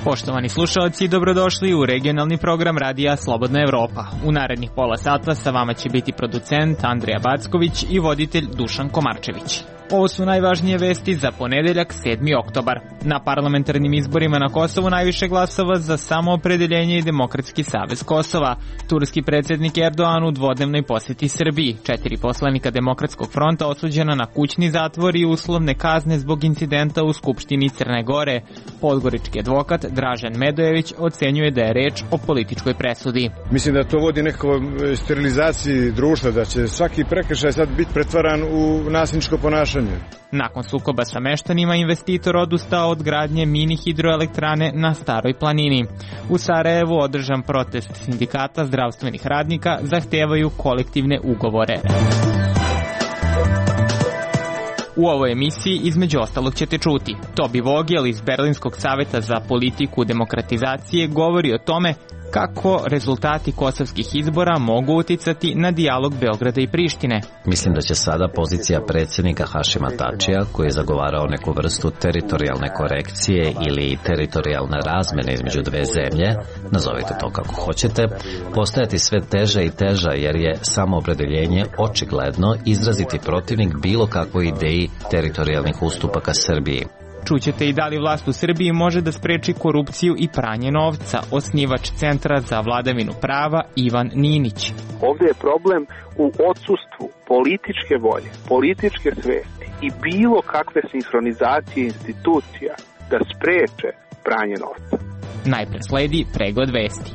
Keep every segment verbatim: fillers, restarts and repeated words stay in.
Poštovani slušalci, dobrodošli u regionalni program Radija Slobodna Evropa. U narednih pola sata sa vama će biti producent Andrija Backović i voditelj Dušan Komarčević. Ovo su najvažnije vesti za ponedeljak sedmi oktobar. Na parlamentarnim izborima na Kosovu najviše glasova za samoopredeljenje i Demokratski savez Kosova. Turski predsjednik Erdogan u dvodnevnoj posjeti Srbiji. Četiri poslanika Demokratskog fronta osuđena na kućni zatvor i uslovne kazne zbog incidenta u Skupštini Crne Gore. Podgorički advokat Dražen Medojević ocenjuje da je reč o političkoj presudi. Mislim da to vodi nekoj sterilizaciji društva, da će svaki prekršaj sad biti pretvaran u nasilničko ponašanje. Nakon sukoba sa meštanima, investitor odustao od gradnje mini hidroelektrane na Staroj planini. U Sarajevu održan protest sindikata zdravstvenih radnika, zahtevaju kolektivne ugovore. U ovoj emisiji između ostalog ćete čuti. Tobi Vogel iz Berlinskog saveta za politiku demokratizacije govori o tome kako rezultati kosovskih izbora mogu uticati na dijalog Beograda i Prištine. Mislim da će sada pozicija predsjednika Hašima Tačija, koji je zagovarao neku vrstu teritorijalne korekcije ili teritorijalne razmjene između dve zemlje, nazovite to kako hoćete, postajati sve teža i teža jer je samoopredeljenje očigledno izraziti protivnik bilo kakvoj ideji teritorijalnih ustupaka Srbiji. Čućete i da li vlast u Srbiji može da spreči korupciju i pranje novca, osnivač Centra za vladavinu prava Ivan Ninić. Ovdje je problem u odsustvu političke volje, političke svesti i bilo kakve sinhronizacije institucija da spreče pranje novca. Najpre sledi pregled vesti.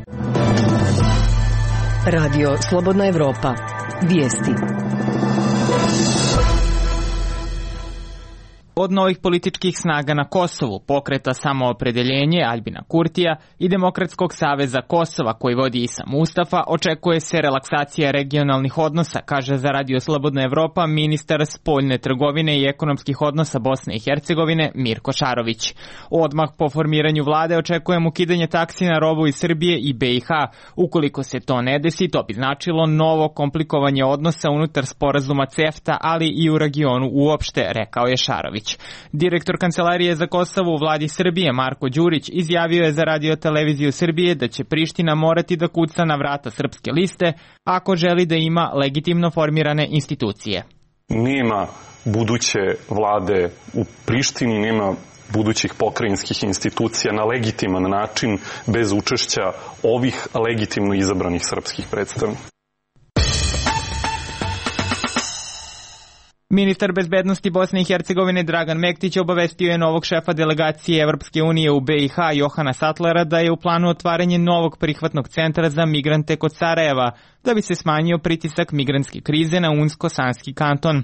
Radio Slobodna Evropa. Vijesti. Od novih političkih snaga na Kosovu, Pokreta samoopredeljenje Aljbina Kurtija i Demokratskog saveza Kosova koji vodi Isa Mustafa, očekuje se relaksacija regionalnih odnosa, kaže za Radio Slobodna Evropa ministar spoljne trgovine i ekonomskih odnosa Bosne i Hercegovine Mirko Šarović. Odmah po formiranju vlade očekujem ukidanje taksi na robu iz Srbije i B i H. Ukoliko se to ne desi, to bi značilo novo komplikovanje odnosa unutar sporazuma CEFTA, ali i u regionu uopšte, rekao je Šarović. Direktor Kancelarije za Kosovo u vladi Srbije Marko Đurić izjavio je za Radio televiziju Srbije da će Priština morati da kuca na vrata srpske liste ako želi da ima legitimno formirane institucije. Nema buduće vlade u Prištini, nema budućih pokrajinskih institucija na legitiman način bez učešća ovih legitimno izabranih srpskih predstavnika. Ministar bezbednosti Bosne i Hercegovine Dragan Mektić obavestio je novog šefa delegacije Evropske unije u B i H Johana Sattlera da je u planu otvaranje novog prihvatnog centra za migrante kod Sarajeva, da bi se smanjio pritisak migrantske krize na Unsko-Sanski kanton.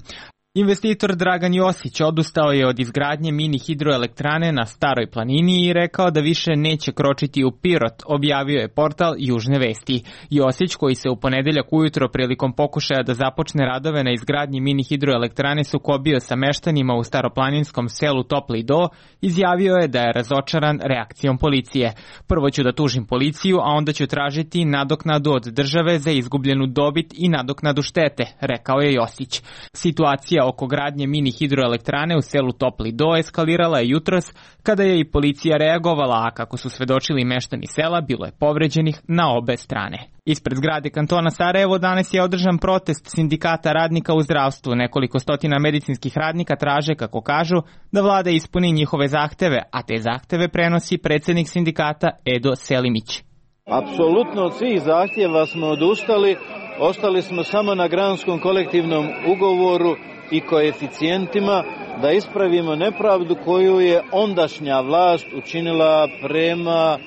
Investitor Dragan Josić odustao je od izgradnje mini hidroelektrane na Staroj planini i rekao da više neće kročiti u Pirot, objavio je portal Južne vesti. Josić, koji se u ponedeljak ujutro prilikom pokušaja da započne radove na izgradnji mini hidroelektrane sukobio sa meštanima u staroplaninskom selu Topli Do, izjavio je da je razočaran reakcijom policije. Prvo ću da tužim policiju, a onda ću tražiti nadoknadu od države za izgubljenu dobit i nadoknadu štete, rekao je Josić. Situacija oko gradnje mini hidroelektrane u selu Topli Do eskalirala je jutros kada je i policija reagovala, a kako su svedočili meštani sela, bilo je povređenih na obe strane. Ispred zgrade kantona Sarajevo danas je održan protest sindikata radnika u zdravstvu. Nekoliko stotina medicinskih radnika traže, kako kažu, da vlada ispuni njihove zahteve, a te zahteve prenosi predsjednik sindikata Edo Selimić. Apsolutno od svih zahtjeva smo odustali, ostali smo samo na granskom kolektivnom ugovoru i koeficijentima da ispravimo nepravdu koju je ondašnja vlast učinila prema a,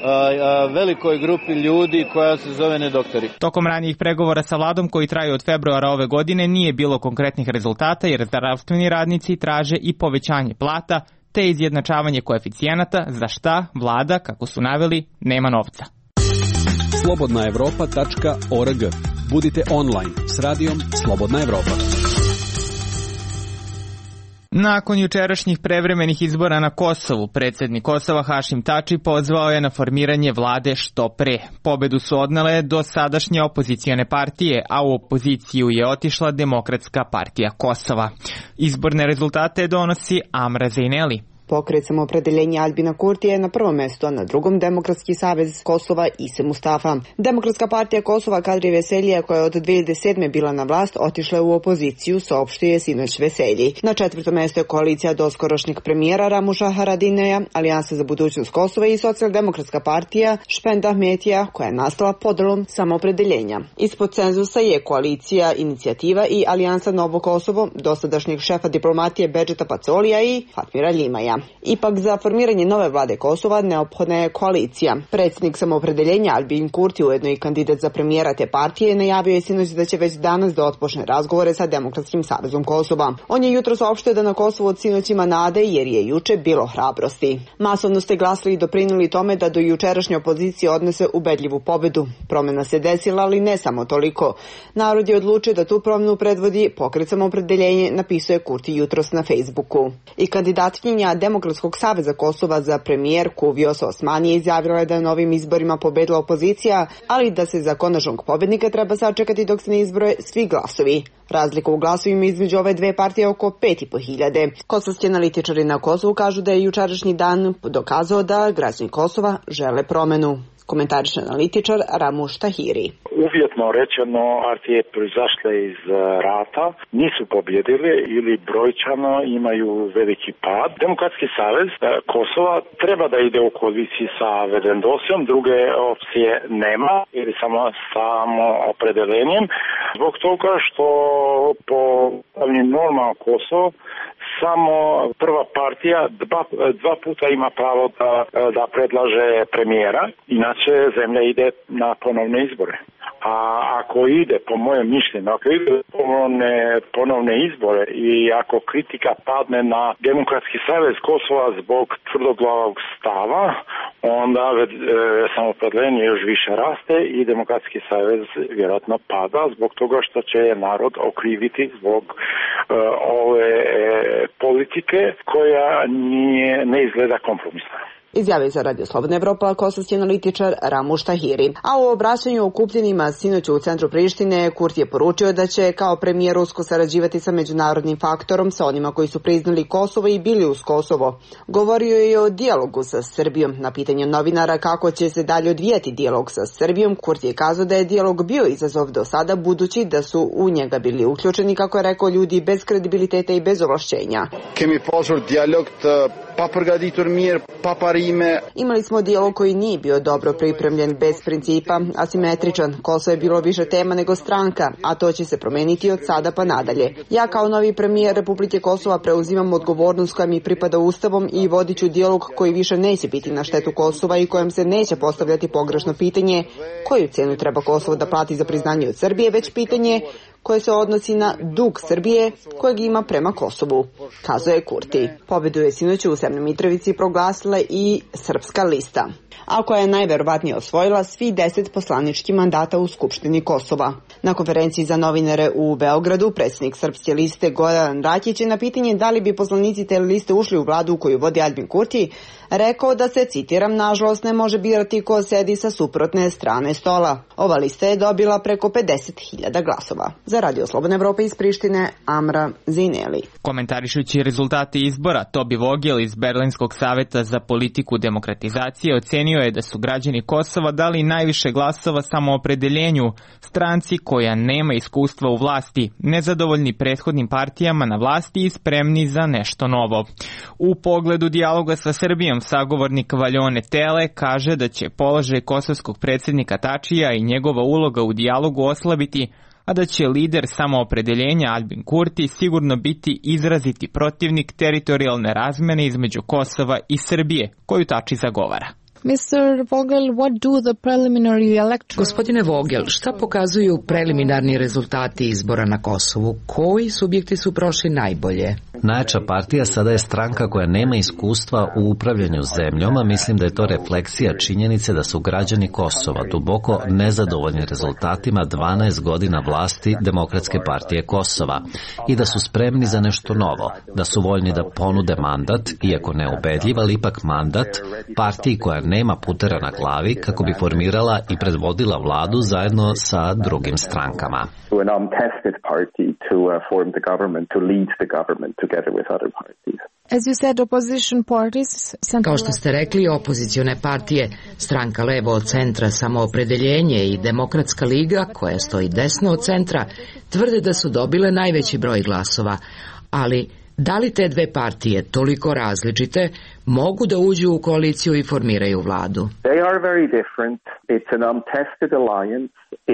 a, velikoj grupi ljudi koja se zove nedoktori. Tokom ranijih pregovora sa vladom koji traju od februara ove godine nije bilo konkretnih rezultata jer zdravstveni radnici traže i povećanje plata te izjednačavanje koeficijenata, za šta vlada, kako su naveli, nema novca. slobodna evropa tačka org. Budite online s radijom Slobodna Evropa. Nakon jučerašnjih prevremenih izbora na Kosovu, predsjednik Kosova Hašim Tači pozvao je na formiranje vlade što pre. Pobedu su odnele do sadašnje opozicione partije, a u opoziciju je otišla Demokratska partija Kosova. Izborne rezultate donosi Amra Zejneli. Pokret Samoopredeljenja Albina Kurtija je na prvom mjestu, a na drugom Demokratski savez Kosova Ise Mustafa. Demokratska partija Kosova Kadri Veselija, koja je od dvije hiljade sedme bila na vlast, otišla u opoziciju, saopštio je sinoć Veselji. Na četvrtom mjestu je koalicija doskorašnjeg premijera Ramuša Haradineja, Alijansa za budućnost Kosova i Socijaldemokratska partija Špend Ahmetija, koja je nastala podelom Samoopredeljenja. Ispod cenzusa je koalicija Inicijativa i Alijansa Novo Kosovo, dosadašnjeg šefa diplomatije Bedžeta Pacolija i Fatmira Ljimaja. Ipak za formiranje nove vlade Kosova neophodna je koalicija. Predsjednik Samoopredeljenja Albin Kurti, ujedno i kandidat za premijera te partije, najavio je sinoć da će već danas da otpočne razgovore sa Demokratskim savezom Kosova. On je jutro saopštio da na Kosovu od sinoć ima nade jer je juče bilo hrabrosti. Masovno ste glasali i doprinuli tome da do jučerašnje opozicije odnese ubedljivu pobedu. Promjena se desila, ali ne samo toliko. Narod je odlučio da tu promjenu predvodi Pokret Samoopredeljenje, napisao je Kurti jutros na Facebooku. I kandidatkinja Demokratskog saveza Kosova za premijerku Vjosa Osmani izjavila je da je na ovim izborima pobedila opozicija, ali da se za konačnog pobednika treba sačekati dok se ne izbroje svi glasovi. Razlika u glasovima između ove dve partije je oko pet i po hiljade. Kosovski analitičari na Kosovu kažu da je jučerašnji dan dokazao da građani Kosova žele promenu. Komentariše analitičar Ramuš Tahiri. Uvjetno rečeno, partije proizašle iz rata nisu pobjedile ili brojčano imaju veliki pad. Demokratski savez Kosova treba da ide u koaliciji sa Vedendosijom, druge opcije nema ili samo samo opredelenjem. Zbog toga što po normalnom Kosovo samo prva partija dva, dva puta ima pravo da, da predlaže premijera, inače zemlja ide na ponovne izbore. A ako ide, po mojem mišljenju, ako ide ponovne, ponovne izbore i ako kritika padne na Demokratski savez Kosova zbog tvrdoglavog stava, onda e, samoopredeljenje još više raste i Demokratski savez vjerojatno pada zbog toga što će narod okriviti zbog e, ove e, politike koja nije, ne izgleda kompromisna. Izjavio za Radio Slobodna Evropa kosovski analitičar Ramuš Tahiri. A u obraćanju okupljenima sinoć u centru Prištine, Kurti je poručio da će kao premijer usko sarađivati sa međunarodnim faktorom, sa onima koji su priznali Kosovo i bili uz Kosovo. Govorio je o dijalogu sa Srbijom. Na pitanje novinara kako će se dalje odvijati dijalog sa Srbijom, Kurti je kazao da je dijalog bio izazov do sada, budući da su u njega bili uključeni, kako je rekao, ljudi bez kredibiliteta i bez ovlašćenja. Kemi pasur dijalog pa përgatitur mirë, pa parime. Imali smo dijalog koji nije bio dobro pripremljen, bez principa, asimetričan. Kosovo je bilo više tema nego stranka, a to će se promeniti od sada pa nadalje. Ja kao novi premijer Republike Kosova preuzimam odgovornost koja mi pripada Ustavom i vodit ću dijalog koji više neće biti na štetu Kosova i kojem se neće postavljati pogrešno pitanje koju cenu treba Kosovo da plati za priznanje od Srbije, već pitanje koje se odnosi na dug Srbije kojeg ima prema Kosovu, kazao je Kurti. Pobedu je sinoć u Severnoj Mitrovici proglasila i Srpska lista, a koja je najverovatnije osvojila svi deset poslaničkih mandata u Skupštini Kosova. Na konferenciji za novinare u Beogradu predsjednik Srpske liste Goran Rakić je na pitanje da li bi poslanici te liste ušli u vladu koju vodi Albin Kurti rekao da se, citiram, nažalost ne može birati ko sedi sa suprotne strane stola. Ova lista je dobila preko pedeset hiljada glasova. Za Radio Slobodna Evropa iz Prištine, Amra Zineli. Komentarišući rezultate izbora, Tobi Vogel iz Berlinskog saveta za politiku demokratizacije ocenio je da su građani Kosova dali najviše glasova samoopredeljenju, stranci koja nema iskustva u vlasti, nezadovoljni prethodnim partijama na vlasti i spremni za nešto novo. U pogledu dijaloga sa Srbijom, sagovornik Valjone Tele kaže da će položaj kosovskog predsjednika Tačija i njegova uloga u dijalogu oslabiti, a da će lider samoopredeljenja Albin Kurti sigurno biti izraziti protivnik teritorijalne razmene između Kosova i Srbije, koju Tači zagovara. mister Vogel, what do the preliminary electoral... Gospodine Vogel, šta pokazuju preliminarni rezultati izbora na Kosovu? Koji subjekti su prošli najbolje? Najjača partija sada je stranka koja nema iskustva u upravljanju zemljom, a mislim da je to refleksija činjenice da su građani Kosova duboko nezadovoljni rezultatima dvanaest godina vlasti Demokratske partije Kosova i da su spremni za nešto novo, da su voljni da ponude mandat, iako neubedljiv, ali ipak mandat, partiji koja nema putera na glavi kako bi formirala i predvodila vladu zajedno sa drugim strankama. As you said, opposition parties, Kao što ste rekli, opozicione partije, stranka levo od centra Samoopredeljenje i Demokratska liga, koja stoji desno od centra, tvrde da su dobile najveći broj glasova, ali da li te dve partije, toliko različite, mogu da uđu u koaliciju i formiraju vladu?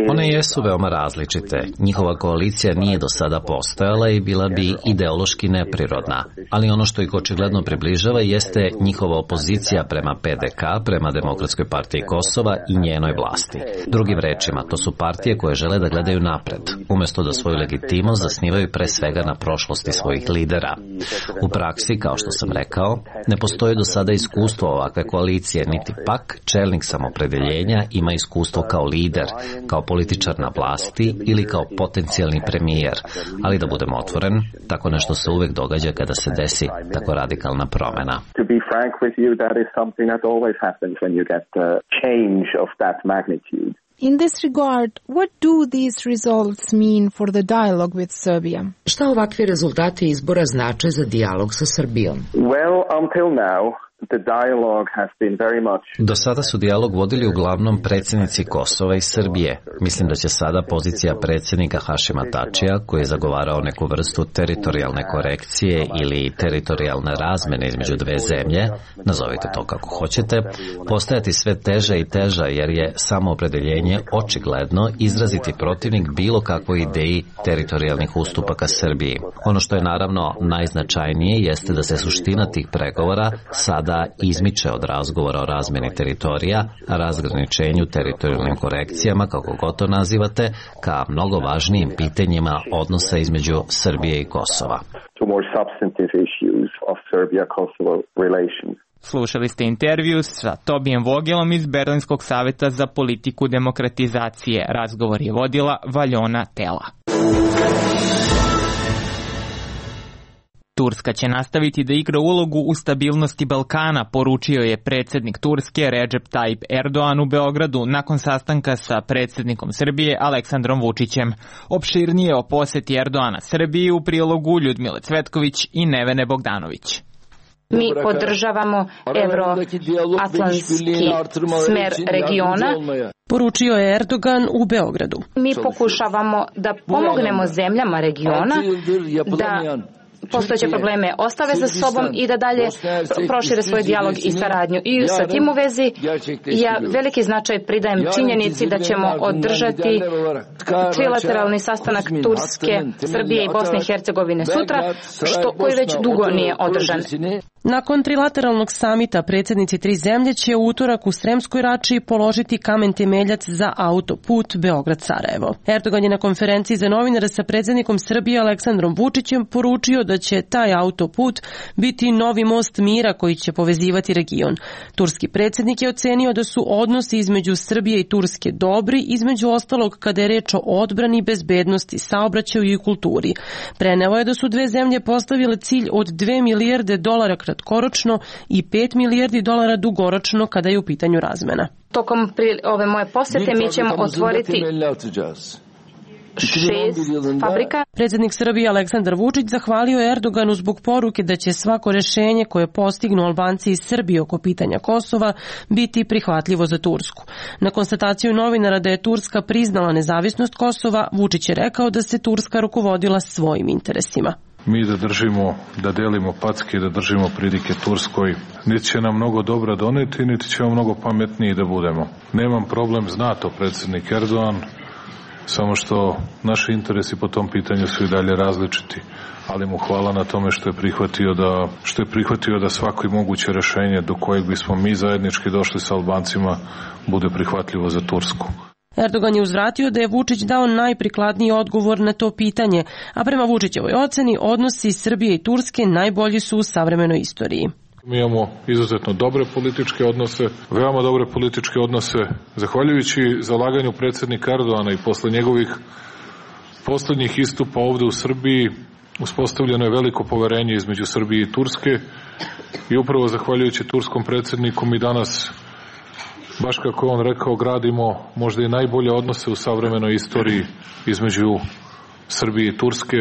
One jesu veoma različite. Njihova koalicija nije do sada postojala i bila bi ideološki neprirodna. Ali ono što ih očigledno približava jeste njihova opozicija prema P D K, prema Demokratskoj partiji Kosova i njenoj vlasti. Drugim rečima, to su partije koje žele da gledaju napred, umjesto da svoju legitimnost zasnivaju pre svega na prošlosti svojih lidera. U praksi, kao što sam rekao, ne postoji do sada iskustvo ovakve koalicije, niti pak čelnik Samoopredeljenja ima iskustvo kao lider, kao političar na vlasti ili kao potencijalni premijer. Ali da budem otvoren, tako nešto se uvek događa kada se desi tako radikalna promena. To be frank with you, that is something that always happens when you get a change of that magnitude. In this regard, what do these results mean for the dialogue with Serbia? Šta ovakvi rezultati izbora znače za dijalog sa Srbijom? Well, until now, the dialogue has been very much... Do sada su dijalog vodili uglavnom predsjednici Kosova i Srbije. Mislim da će sada pozicija predsjednika Hašima Tačija, koji je zagovarao neku vrstu teritorijalne korekcije ili teritorijalne razmene između dve zemlje, nazovite to kako hoćete, postajati sve teža i teža jer je Samoopredeljenje očigledno izraziti protivnik bilo kakvoj ideji teritorijalnih ustupaka Srbiji. Ono što je naravno najznačajnije jeste da se suština tih pregovora sada da izmiče od razgovora o razmeni teritorija, razgraničenju, teritorijalnim korekcijama, kako god to nazivate, ka mnogo važnijim pitanjima odnosa između Srbije i Kosova. Slušali ste intervju sa Tobijem Vogelom iz Berlinskog saveta za politiku demokratizacije. Razgovor je vodila Valjona Tela. Turska će nastaviti da igra ulogu u stabilnosti Balkana, poručio je predsjednik Turske Recep Tayyip Erdogan u Beogradu nakon sastanka sa predsjednikom Srbije Aleksandrom Vučićem. Opširnije o poseti Erdogana Srbiji u prilogu Ljudmile Cvetković i Nevene Bogdanović. Mi podržavamo evroatlantski smer regiona, poručio je Erdogan u Beogradu. Mi pokušavamo da pomognemo zemljama regiona da postojeće probleme ostave za sobom i da dalje prošire svoj dijalog i saradnju. I sa tim u vezi ja veliki značaj pridajem činjenici da ćemo održati trilateralni sastanak Turske, Srbije i Bosne i Hercegovine sutra, što, koji već dugo nije održan. Nakon trilateralnog samita predsjednici tri zemlje će u utorak u Sremskoj Rači položiti kamen temeljac za autoput Beograd-Sarajevo. Erdogan je na konferenciji za novinare sa predsjednikom Srbije Aleksandrom Vučićem poručio da će taj autoput biti novi most mira koji će povezivati region. Turski predsjednik je ocenio da su odnosi između Srbije i Turske dobri, između ostalog kada je reč o odbrani, bezbednosti, saobraćaju i kulturi. Preneo je da su dve zemlje postavile cilj od dve milijarde dolara kratkoročno i pet milijardi dolara dugoročno kada je u pitanju razmena. Tokom ove moje posete mi ćemo otvoriti šest fabrika. Predsjednik Srbije Aleksandar Vučić zahvalio je Erdoganu zbog poruke da će svako rešenje koje postignu Albanci iz Srbije oko pitanja Kosova biti prihvatljivo za Tursku. Na konstataciju novinara da je Turska priznala nezavisnost Kosova, Vučić je rekao da se Turska rukovodila svojim interesima. Mi da držimo, da delimo packe, da držimo pridike Turskoj, niti će nam mnogo dobra doneti, niti ćemo mnogo pametniji da budemo. Nemam problem, zna to predsjednik Erdogan, samo što naši interesi po tom pitanju su i dalje različiti. Ali mu hvala na tome što je prihvatio da, što je prihvatio da svako i moguće rešenje do kojeg bismo mi zajednički došli sa Albancima bude prihvatljivo za Tursku. Erdogan je uzvratio da je Vučić dao najprikladniji odgovor na to pitanje, a prema Vučićevoj oceni odnosi Srbije i Turske najbolji su u savremenoj istoriji. Mi imamo izuzetno dobre političke odnose, veoma dobre političke odnose, zahvaljujući zalaganju predsjednika Erdogana i posle njegovih poslednjih istupa ovde u Srbiji, uspostavljeno je veliko poverenje između Srbije i Turske i upravo zahvaljujući turskom predsjedniku mi danas, baš kako je on rekao, gradimo možda i najbolje odnose u savremenoj istoriji između Srbije i Turske,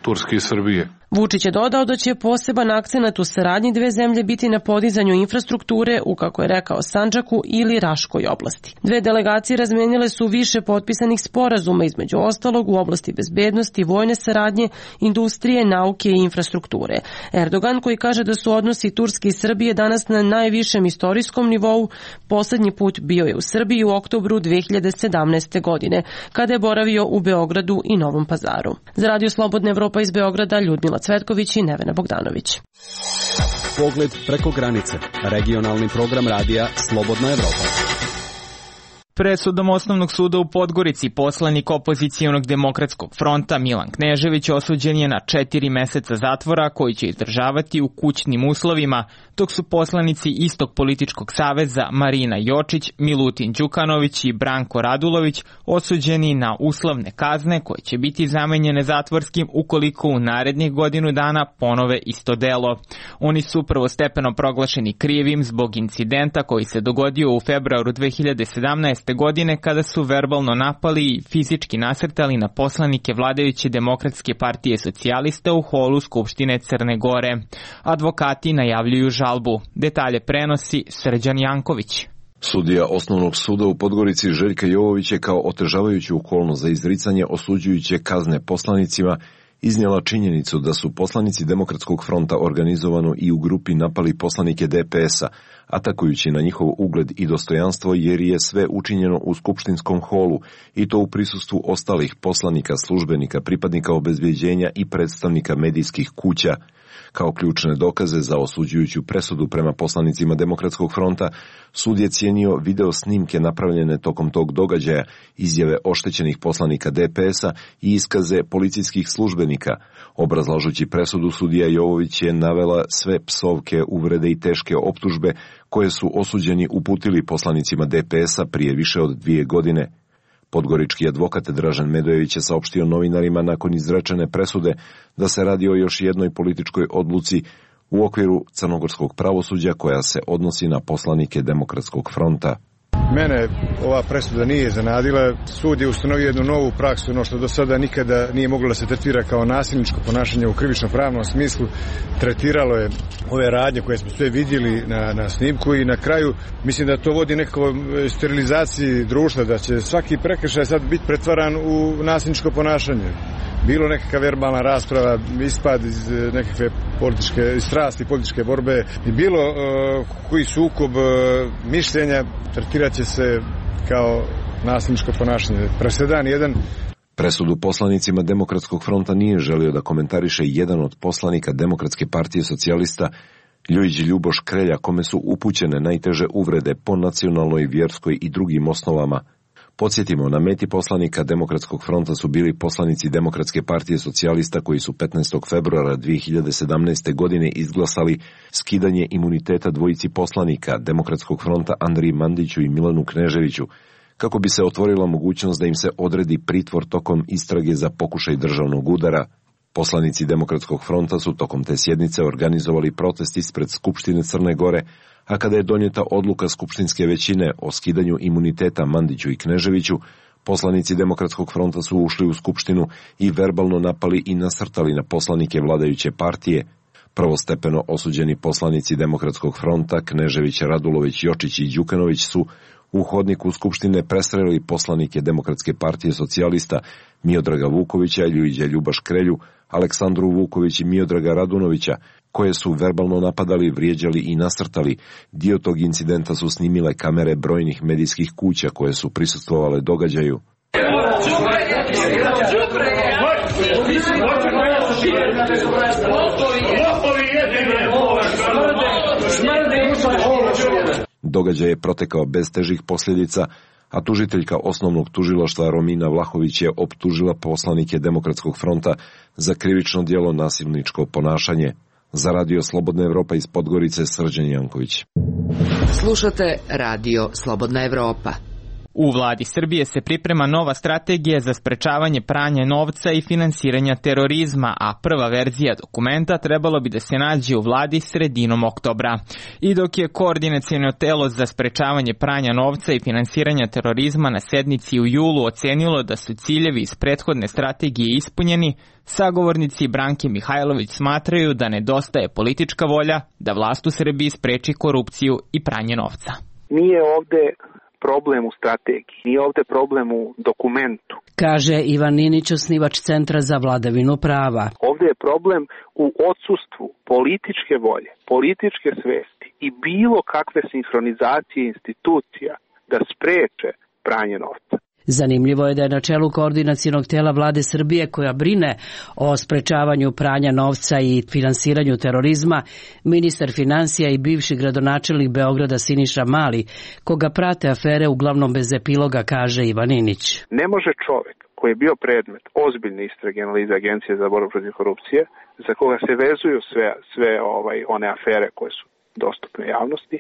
Turske i Srbije. Vučić je dodao da će poseban akcenat u saradnji dve zemlje biti na podizanju infrastrukture u, kako je rekao, Sandžaku ili Raškoj oblasti. Dve delegacije razmenile su više potpisanih sporazuma, između ostalog u oblasti bezbednosti, vojne saradnje, industrije, nauke i infrastrukture. Erdogan, koji kaže da su odnosi Turske i Srbije danas na najvišem istorijskom nivou, poslednji put bio je u Srbiji u oktobru dve hiljade sedamnaeste. godine, kada je boravio u Beogradu i Novom Pazaru. Za Radio Slobodna Evropa iz Beograda, Ljudmila Cvetković i Nevena Bogdanović. Pogled preko granice. Regionalni program radija Slobodna Evropa. Presudom Osnovnog suda u Podgorici poslanik opozicijonog demokratskog fronta Milan Knežević osuđen je na četiri meseca zatvora koji će izdržavati u kućnim uslovima, dok su poslanici istog političkog saveza Marina Jočić, Milutin Đukanović i Branko Radulović osuđeni na uslovne kazne koje će biti zamenjene zatvorskim ukoliko u narednih godinu dana ponove isto delo. Oni su prvostepeno proglašeni krivim zbog incidenta koji se dogodio u februaru dve hiljade sedamnaeste. godine kada su verbalno napali i fizički nasrtali na poslanike vladajuće Demokratske partije socijalista u holu Skupštine Crne Gore. Advokati najavljuju žalbu. Detalje prenosi Srđan Janković. Sudija Osnovnog suda u Podgorici Željka Jovović je kao otežavajuću okolnost za izricanje osuđujuće kazne poslanicima iznijela činjenicu da su poslanici Demokratskog fronta organizovano i u grupi napali poslanike D P S-a, atakujući na njihov ugled i dostojanstvo jer je sve učinjeno u skupštinskom holu i to u prisustvu ostalih poslanika, službenika, pripadnika obezbeđenja i predstavnika medijskih kuća. Kao ključne dokaze za osuđujuću presudu prema poslanicima Demokratskog fronta, sud je cijenio video snimke napravljene tokom tog događaja, izjave oštećenih poslanika D P S-a i iskaze policijskih službenika. Obrazlažući presudu, sudija Jovović je navela sve psovke, uvrede i teške optužbe koje su osuđeni uputili poslanicima D P S-a prije više od dvije godine. Podgorički advokat Dražen Medojević je saopštio novinarima nakon izrečene presude da se radi o još jednoj političkoj odluci u okviru crnogorskog pravosuđa koja se odnosi na poslanike Demokratskog fronta. Mene ova presuda nije iznenadila. Sud je ustanovio jednu novu praksu, ono što do sada nikada nije moglo da se tretira kao nasilničko ponašanje u krivično-pravnom smislu. Tretiralo je ove radnje koje smo sve vidjeli na, na snimku i na kraju mislim da to vodi nekoj sterilizaciji društva, da će svaki prekršaj sad biti pretvaran u nasilničko ponašanje. Bilo nekakva verbalna rasprava, ispad iz nekakve političke strasti, političke borbe i bilo uh, koji sukob uh, mišljenja tretirat će se kao nasilničko ponašanje. Presedan jedan. Presudu poslanicima Demokratskog fronta nije želio da komentariše jedan od poslanika Demokratske partije socijalista, Ljujić Ljuboš Krelja, kome su upućene najteže uvrede po nacionalnoj, vjerskoj i drugim osnovama. Podsjetimo, na meti poslanika Demokratskog fronta su bili poslanici Demokratske partije socijalista koji su petnaestog februara dve hiljade sedamnaeste. godine izglasali skidanje imuniteta dvojici poslanika Demokratskog fronta Andriji Mandiću i Milanu Kneževiću, kako bi se otvorila mogućnost da im se odredi pritvor tokom istrage za pokušaj državnog udara. Poslanici Demokratskog fronta su tokom te sjednice organizovali protest ispred Skupštine Crne Gore, a kada je donijeta odluka skupštinske većine o skidanju imuniteta Mandiću i Kneževiću, poslanici Demokratskog fronta su ušli u Skupštinu i verbalno napali i nasrtali na poslanike vladajuće partije. Prvostepeno osuđeni poslanici Demokratskog fronta Knežević, Radulović, Jočić i Đukanović su u hodniku Skupštine prestrelili poslanike Demokratske partije socijalista Miodraga Vukovića, Ljujića Ljubaš Krelju, Aleksandru Vuković i Miodraga Radunovića, koje su verbalno napadali, vrijeđali i nasrtali. Dio tog incidenta su snimile kamere brojnih medijskih kuća koje su prisustvovale događaju. Događaj je protekao bez težih posljedica, a tužiteljka osnovnog tužilaštva Romina Vlahović je optužila poslanike Demokratskog fronta za krivično djelo nasilničko ponašanje. Za Radio Slobodna Evropa iz Podgorice, Srđan Janković. Slušate Radio Slobodna Evropa. U vladi Srbije se priprema nova strategija za sprečavanje pranja novca i finansiranja terorizma, a prva verzija dokumenta trebalo bi da se nađe u vladi sredinom oktobra. I dok je koordinaciono telo za sprečavanje pranja novca i finansiranja terorizma na sednici u julu ocenilo da su ciljevi iz prethodne strategije ispunjeni, sagovornici Branke Mihajlović smatraju da nedostaje politička volja da vlast u Srbiji spreči korupciju i pranje novca. Nije ovde problem u strategiji, nije ovde problem u dokumentu. Kaže Ivan Ninić, osnivač Centra za vladavinu prava. Ovde je problem u odsustvu političke volje, političke svesti i bilo kakve sinhronizacije institucija da spreče pranje novca. Zanimljivo je da je na čelu koordinacionog tela vlade Srbije koja brine o sprečavanju pranja novca i finansiranju terorizma ministar finansija i bivši gradonačelnik Beograda Siniša Mali, koga prate afere uglavnom bez epiloga, kaže Ivan Ninić. Ne može čovjek koji je bio predmet ozbiljne istrage analize Agencije za borbu protiv korupcije, za koga se vezuju sve, sve ovaj, one afere koje su dostupne javnosti,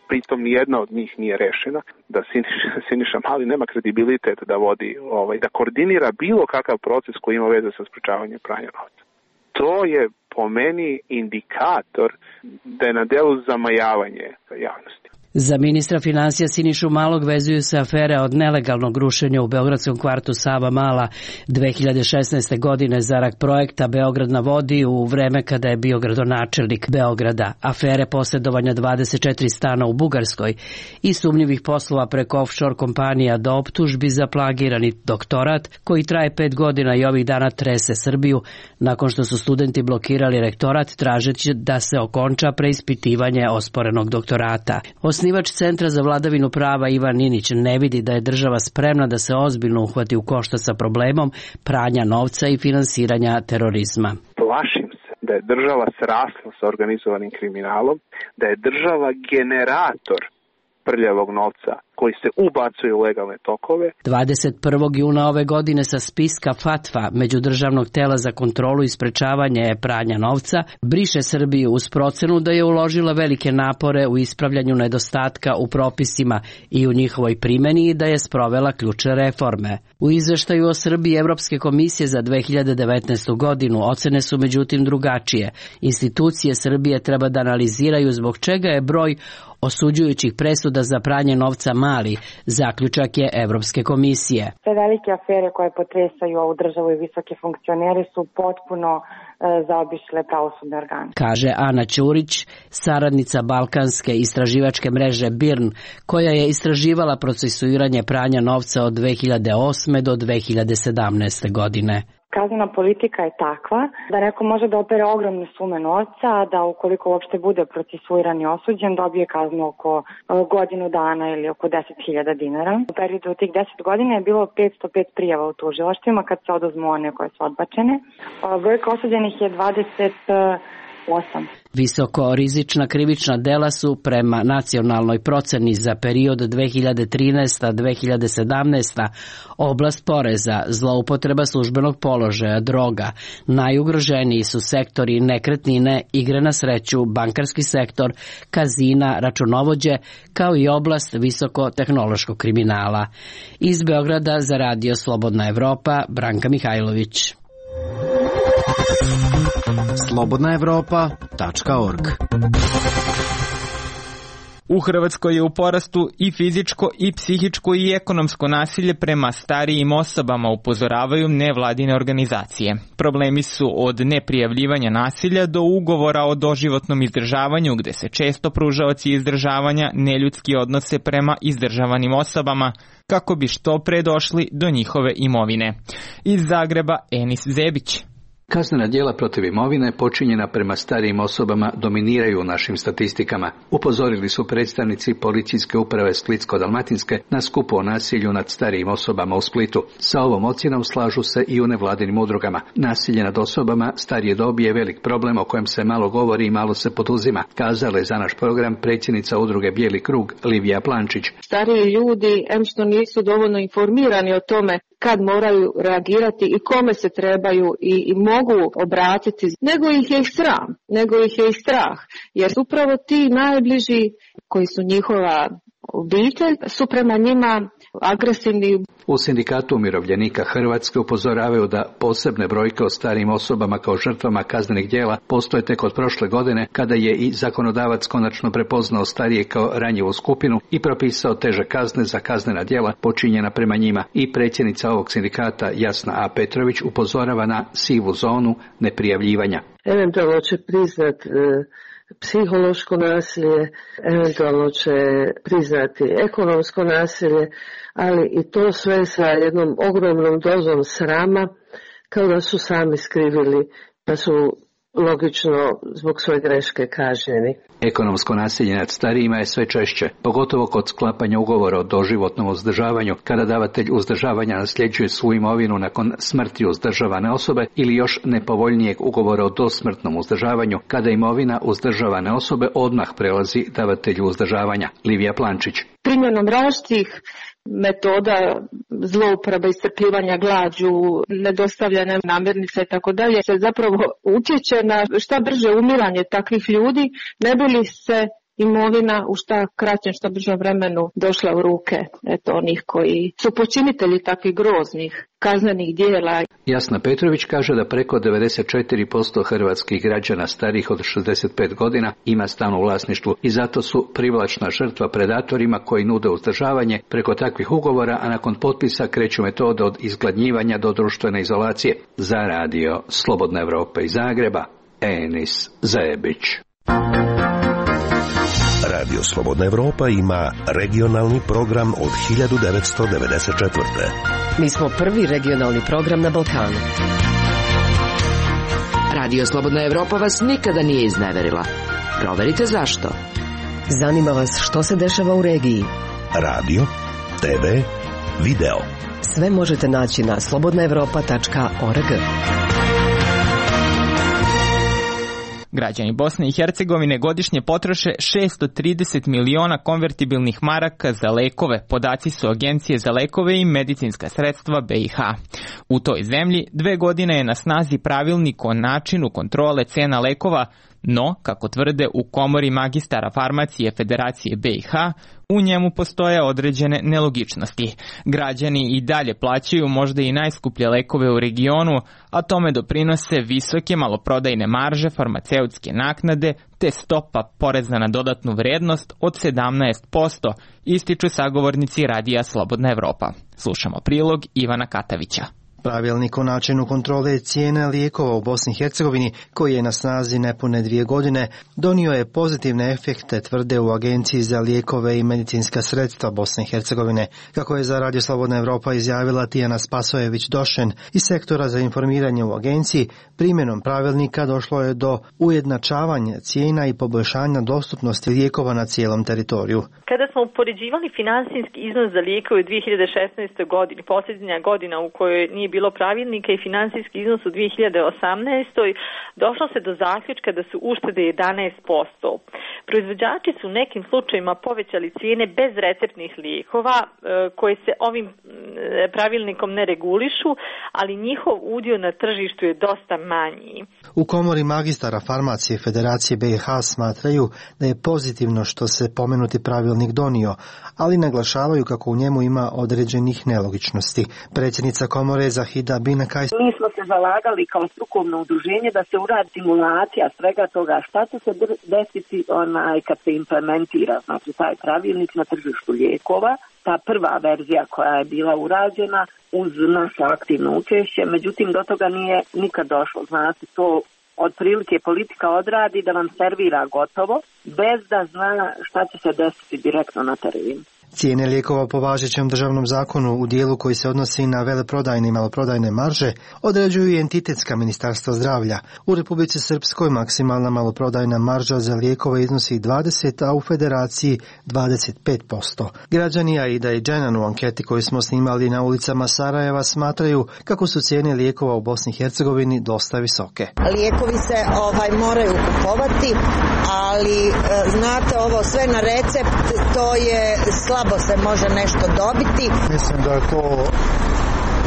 pritom nijedna od njih nije rešena, da Siniša, Siniša Mali nema kredibilitet da vodi, ovaj, da koordinira bilo kakav proces koji ima veze sa sprečavanjem pranja novca. To je po meni indikator da je na delu zamajavanje javnosti. Za ministra finansija Sinišu Malog vezuju se afere od nelegalnog rušenja u beogradskom kvartu Sava Mala dve hiljade šesnaeste. godine zarad projekta Beograd na vodi u vreme kada je bio gradonačelnik Beograda, afere posjedovanja dvadeset četiri stana u Bugarskoj i sumnjivih poslova preko offshore kompanija do optužbi za plagirani doktorat koji traje pet godina i ovih dana trese Srbiju nakon što su studenti blokirali rektorat tražeći da se okonča preispitivanje osporenog doktorata. Osnivač Centra za vladavinu prava Ivan Ninić ne vidi da je država spremna da se ozbiljno uhvati u koštac sa problemom pranja novca i finansiranja terorizma. Plašim se da je država srasla sa organizovanim kriminalom, da je država generator prljavog novca koji se ubacuje u legalne tokove. dvadeset prvog juna ove godine sa spiska FATFA, Međudržavnog tela za kontrolu i sprečavanje pranja novca, briše Srbiju uz procenu da je uložila velike napore u ispravljanju nedostatka u propisima i u njihovoj primjeni i da je sprovela ključne reforme. U izveštaju o Srbiji Evropske komisije za dve hiljade devetnaestu. godinu ocene su međutim drugačije. Institucije Srbije treba da analiziraju zbog čega je broj osuđujućih presuda za pranje novca mali, zaključak je Evropske komisije. Sve velike afere koje potresaju ovu državu i visoke funkcionere su potpuno e, zaobišle pravosudne organe. Kaže Ana Ćurić, saradnica balkanske istraživačke mreže B I R N, koja je istraživala procesuiranje pranja novca od dve hiljade osme. do dve hiljade sedamnaeste. godine. Kaznena politika je takva da neko može da opere ogromne sume novca, a da ukoliko uopšte bude procesuiran i osuđen, dobije kaznu oko godinu dana ili oko deset hiljada dinara. U periodu od tih deset godina je bilo petsto pet prijava u tužilaštvima kad se oduzmu one koje su odbačene. Brojka osuđenih je dvadeset osam. Visoko rizična krivična dela su prema nacionalnoj proceni za period dve hiljade trinaesta do dve hiljade sedamnaeste. oblast poreza, zloupotreba službenog položaja, droga. Najugroženiji su sektori nekretnine, igre na sreću, bankarski sektor, kazina, računovođe, kao i oblast visoko-tehnološkog kriminala. Iz Beograda za Radio Slobodna Evropa, Branka Mihajlović. slobodna evropa tačka org. U Hrvatskoj je u porastu i fizičko i psihičko i ekonomsko nasilje prema starijim osobama, upozoravaju nevladine organizacije. Problemi su od neprijavljivanja nasilja do ugovora o doživotnom izdržavanju, gde se često pružaoci izdržavanja neljudski odnose prema izdržavanim osobama, kako bi što pre došli do njihove imovine. Iz Zagreba, Enis Zebić. Kaznena djela protiv imovine počinjena prema starijim osobama dominiraju u našim statistikama. Upozorili su predstavnici policijske uprave Splitsko-dalmatinske na skupu o nasilju nad starijim osobama u Splitu. Sa ovom ocjenom slažu se i u nevladinim udrugama. Nasilje nad osobama starije dobi je velik problem o kojem se malo govori i malo se poduzima, kazala je za naš program predsjednica udruge Bijeli krug Livija Plančić. Stariji ljudi, em što nisu dovoljno informirani o tome kad moraju reagirati i kome se trebaju i, i mogu obratiti, nego ih je i sram, nego ih je i strah, jer upravo ti najbliži koji su njihova obitelj su prema njima agresivni. U Sindikatu umirovljenika Hrvatske upozoravaju da posebne brojke o starijim osobama kao žrtvama kaznenih djela postoje tek od prošle godine, kada je i zakonodavac konačno prepoznao starije kao ranjivu skupinu i propisao teže kazne za kaznena djela počinjena prema njima. I predsjednica ovog sindikata Jasna A. Petrović upozorava na sivu zonu neprijavljivanja. Eventualno će priznat e, psihološko nasilje, eventualno će priznati ekonomsko nasilje, ali i to sve sa jednom ogromnom dozom srama, kao da su sami skrivili, pa su logično zbog svoje greške kažnjeni. Ekonomsko nasilje nad starijima je sve češće, pogotovo kod sklapanja ugovora o doživotnom uzdržavanju, kada davatelj uzdržavanja nasljeđuje svu imovinu nakon smrti uzdržavane osobe, ili još nepovoljnijeg ugovora o dosmrtnom uzdržavanju, kada imovina uzdržavane osobe odmah prelazi davatelju uzdržavanja. Livija Plančić. Primjenom različitih metoda zlouporabe, iscrpljivanja glađu, nedostavljane namirnice i tako dalje se zapravo utječe na šta brže umiranje takvih ljudi, ne bi li se imovina u šta kraćem, šta bržem vremenu došla u ruke eto, onih koji su počinitelji takvih groznih kaznenih djela. Jasna Petrović kaže da preko devedeset četiri posto hrvatskih građana starijih od šezdeset pet godina ima stan u vlasništvu i zato su privlačna žrtva predatorima koji nude uzdržavanje preko takvih ugovora, a nakon potpisa kreću metode od izgladnjivanja do društvene izolacije. Za radio Slobodna Evropa iz Zagreba, Enis Zajebić. Radio Slobodna Evropa ima regionalni program od hiljadu devetsto devedeset četvrte. Mi smo prvi regionalni program na Balkanu. Radio Slobodna Evropa vas nikada nije izneverila. Proverite zašto. Zanima vas što se dešava u regiji. Radio, te ve, video. Sve možete naći na slobodna evropa tačka org. Građani Bosne i Hercegovine godišnje potroše šessto trideset miliona konvertibilnih maraka za lekove, podaci su Agencije za lekove i medicinska sredstva be i ha. U toj zemlji dve godine je na snazi pravilnik o načinu kontrole cena lekova, no, kako tvrde u Komori magistara farmacije Federacije be i ha, u njemu postoje određene nelogičnosti. Građani i dalje plaćaju možda i najskuplje lekove u regionu, a tome doprinose visoke maloprodajne marže, farmaceutske naknade te stopa poreza na dodatnu vrednost od sedamnaest posto, ističu sagovornici radija Slobodna Evropa. Slušamo prilog Ivana Katavića. Pravilnik o načinu kontrole cijene lijekova u Bosni i Hercegovini, koji je na snazi nepune dvije godine, donio je pozitivne efekte, tvrde u Agenciji za lijekove i medicinska sredstva Bosne i Hercegovine. Kako je za Radio Slobodna Evropa izjavila Tijana Spasojević-Došen iz sektora za informiranje u agenciji, primjenom pravilnika došlo je do ujednačavanja cijena i poboljšanja dostupnosti lijekova na cijelom teritoriju. Kada smo upoređivali finansijski iznos za lijekove u dvije hiljade šesnaestoj. godini, posljednja godina u kojoj nije bilo pravilnika, i finansijski iznos u dvije hiljade osamnaestoj. došlo se do zaključka da su uštede jedanaest posto. Proizvođači su u nekim slučajima povećali cijene bez receptnih lijekova koje se ovim pravilnikom ne regulišu, ali njihov udio na tržištu je dosta manji. U Komori magistara farmacije Federacije be i ha smatraju da je pozitivno što se pomenuti pravilnik donio, ali naglašavaju kako u njemu ima određenih nelogičnosti. Predsjednica Komore Zahida Binakaj: Mi smo se zalagali kao strukovno udruženje da se uradi simulacija svega toga šta će se desiti onaj kad se implementira, znači taj pravilnik na tržištu lijekova. Ta prva verzija koja je bila urađena uz naše aktivno učešće, međutim do toga nije nikad došlo. Znači to otprilike politika odradi da vam servira gotovo, bez da zna šta će se desiti direktno na terenu. Cijene lijekova po važećem državnom zakonu u dijelu koji se odnosi na veleprodajne i maloprodajne marže određuju i entitetska ministarstva zdravlja. U Republici Srpskoj maksimalna maloprodajna marža za lijekove iznosi dvadeset, a u Federaciji dvadeset pet posto. Građani Aida i Dženan u anketi koju smo snimali na ulicama Sarajeva smatraju kako su cijene lijekova u Bosni i Hercegovini dosta visoke. Lijekovi se ovaj moraju kupovati, ali znate ovo sve na recept, to je slabo se može nešto dobiti. Mislim da je to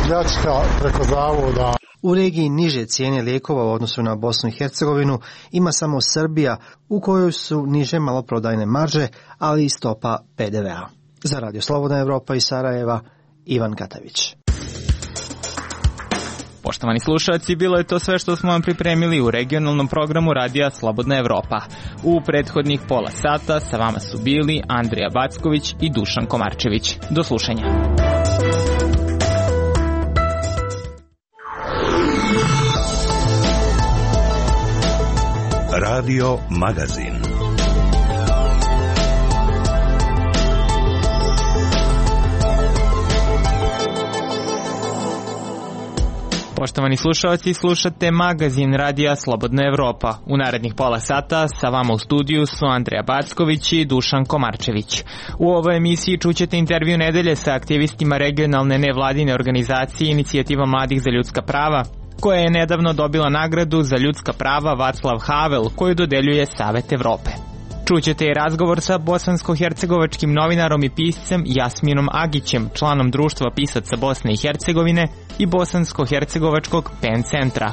pljačka preko zavoda. U regiji niže cijene lijekova u odnosu na Bosnu i Hercegovinu ima samo Srbija, u kojoj su niže maloprodajne marže, ali i stopa P D V-a. Za Radio Slobodna Evropa iz Sarajeva, Ivan Katavić. Poštovani slušalci, bilo je to sve što smo vam pripremili u regionalnom programu Radija Slobodna Evropa. U prethodnih pola sata sa vama su bili Andrija Backović i Dušan Komarčević. Do slušanja. Radio Magazin. Poštovani slušalci, slušate magazin Radija Slobodna Evropa. U narednih pola sata sa vama u studiju su Andrija Backović i Dušan Komarčević. U ovoj emisiji čućete intervju nedelje sa aktivistima regionalne nevladine organizacije Inicijativa mladih za ljudska prava, koja je nedavno dobila nagradu za ljudska prava Vaclav Havel, koju dodeljuje Savet Evrope. Čućete i razgovor sa bosansko-hercegovačkim novinarom i piscem Jasminom Agićem, članom Društva pisaca Bosne i Hercegovine i bosansko-hercegovačkog PEN centra.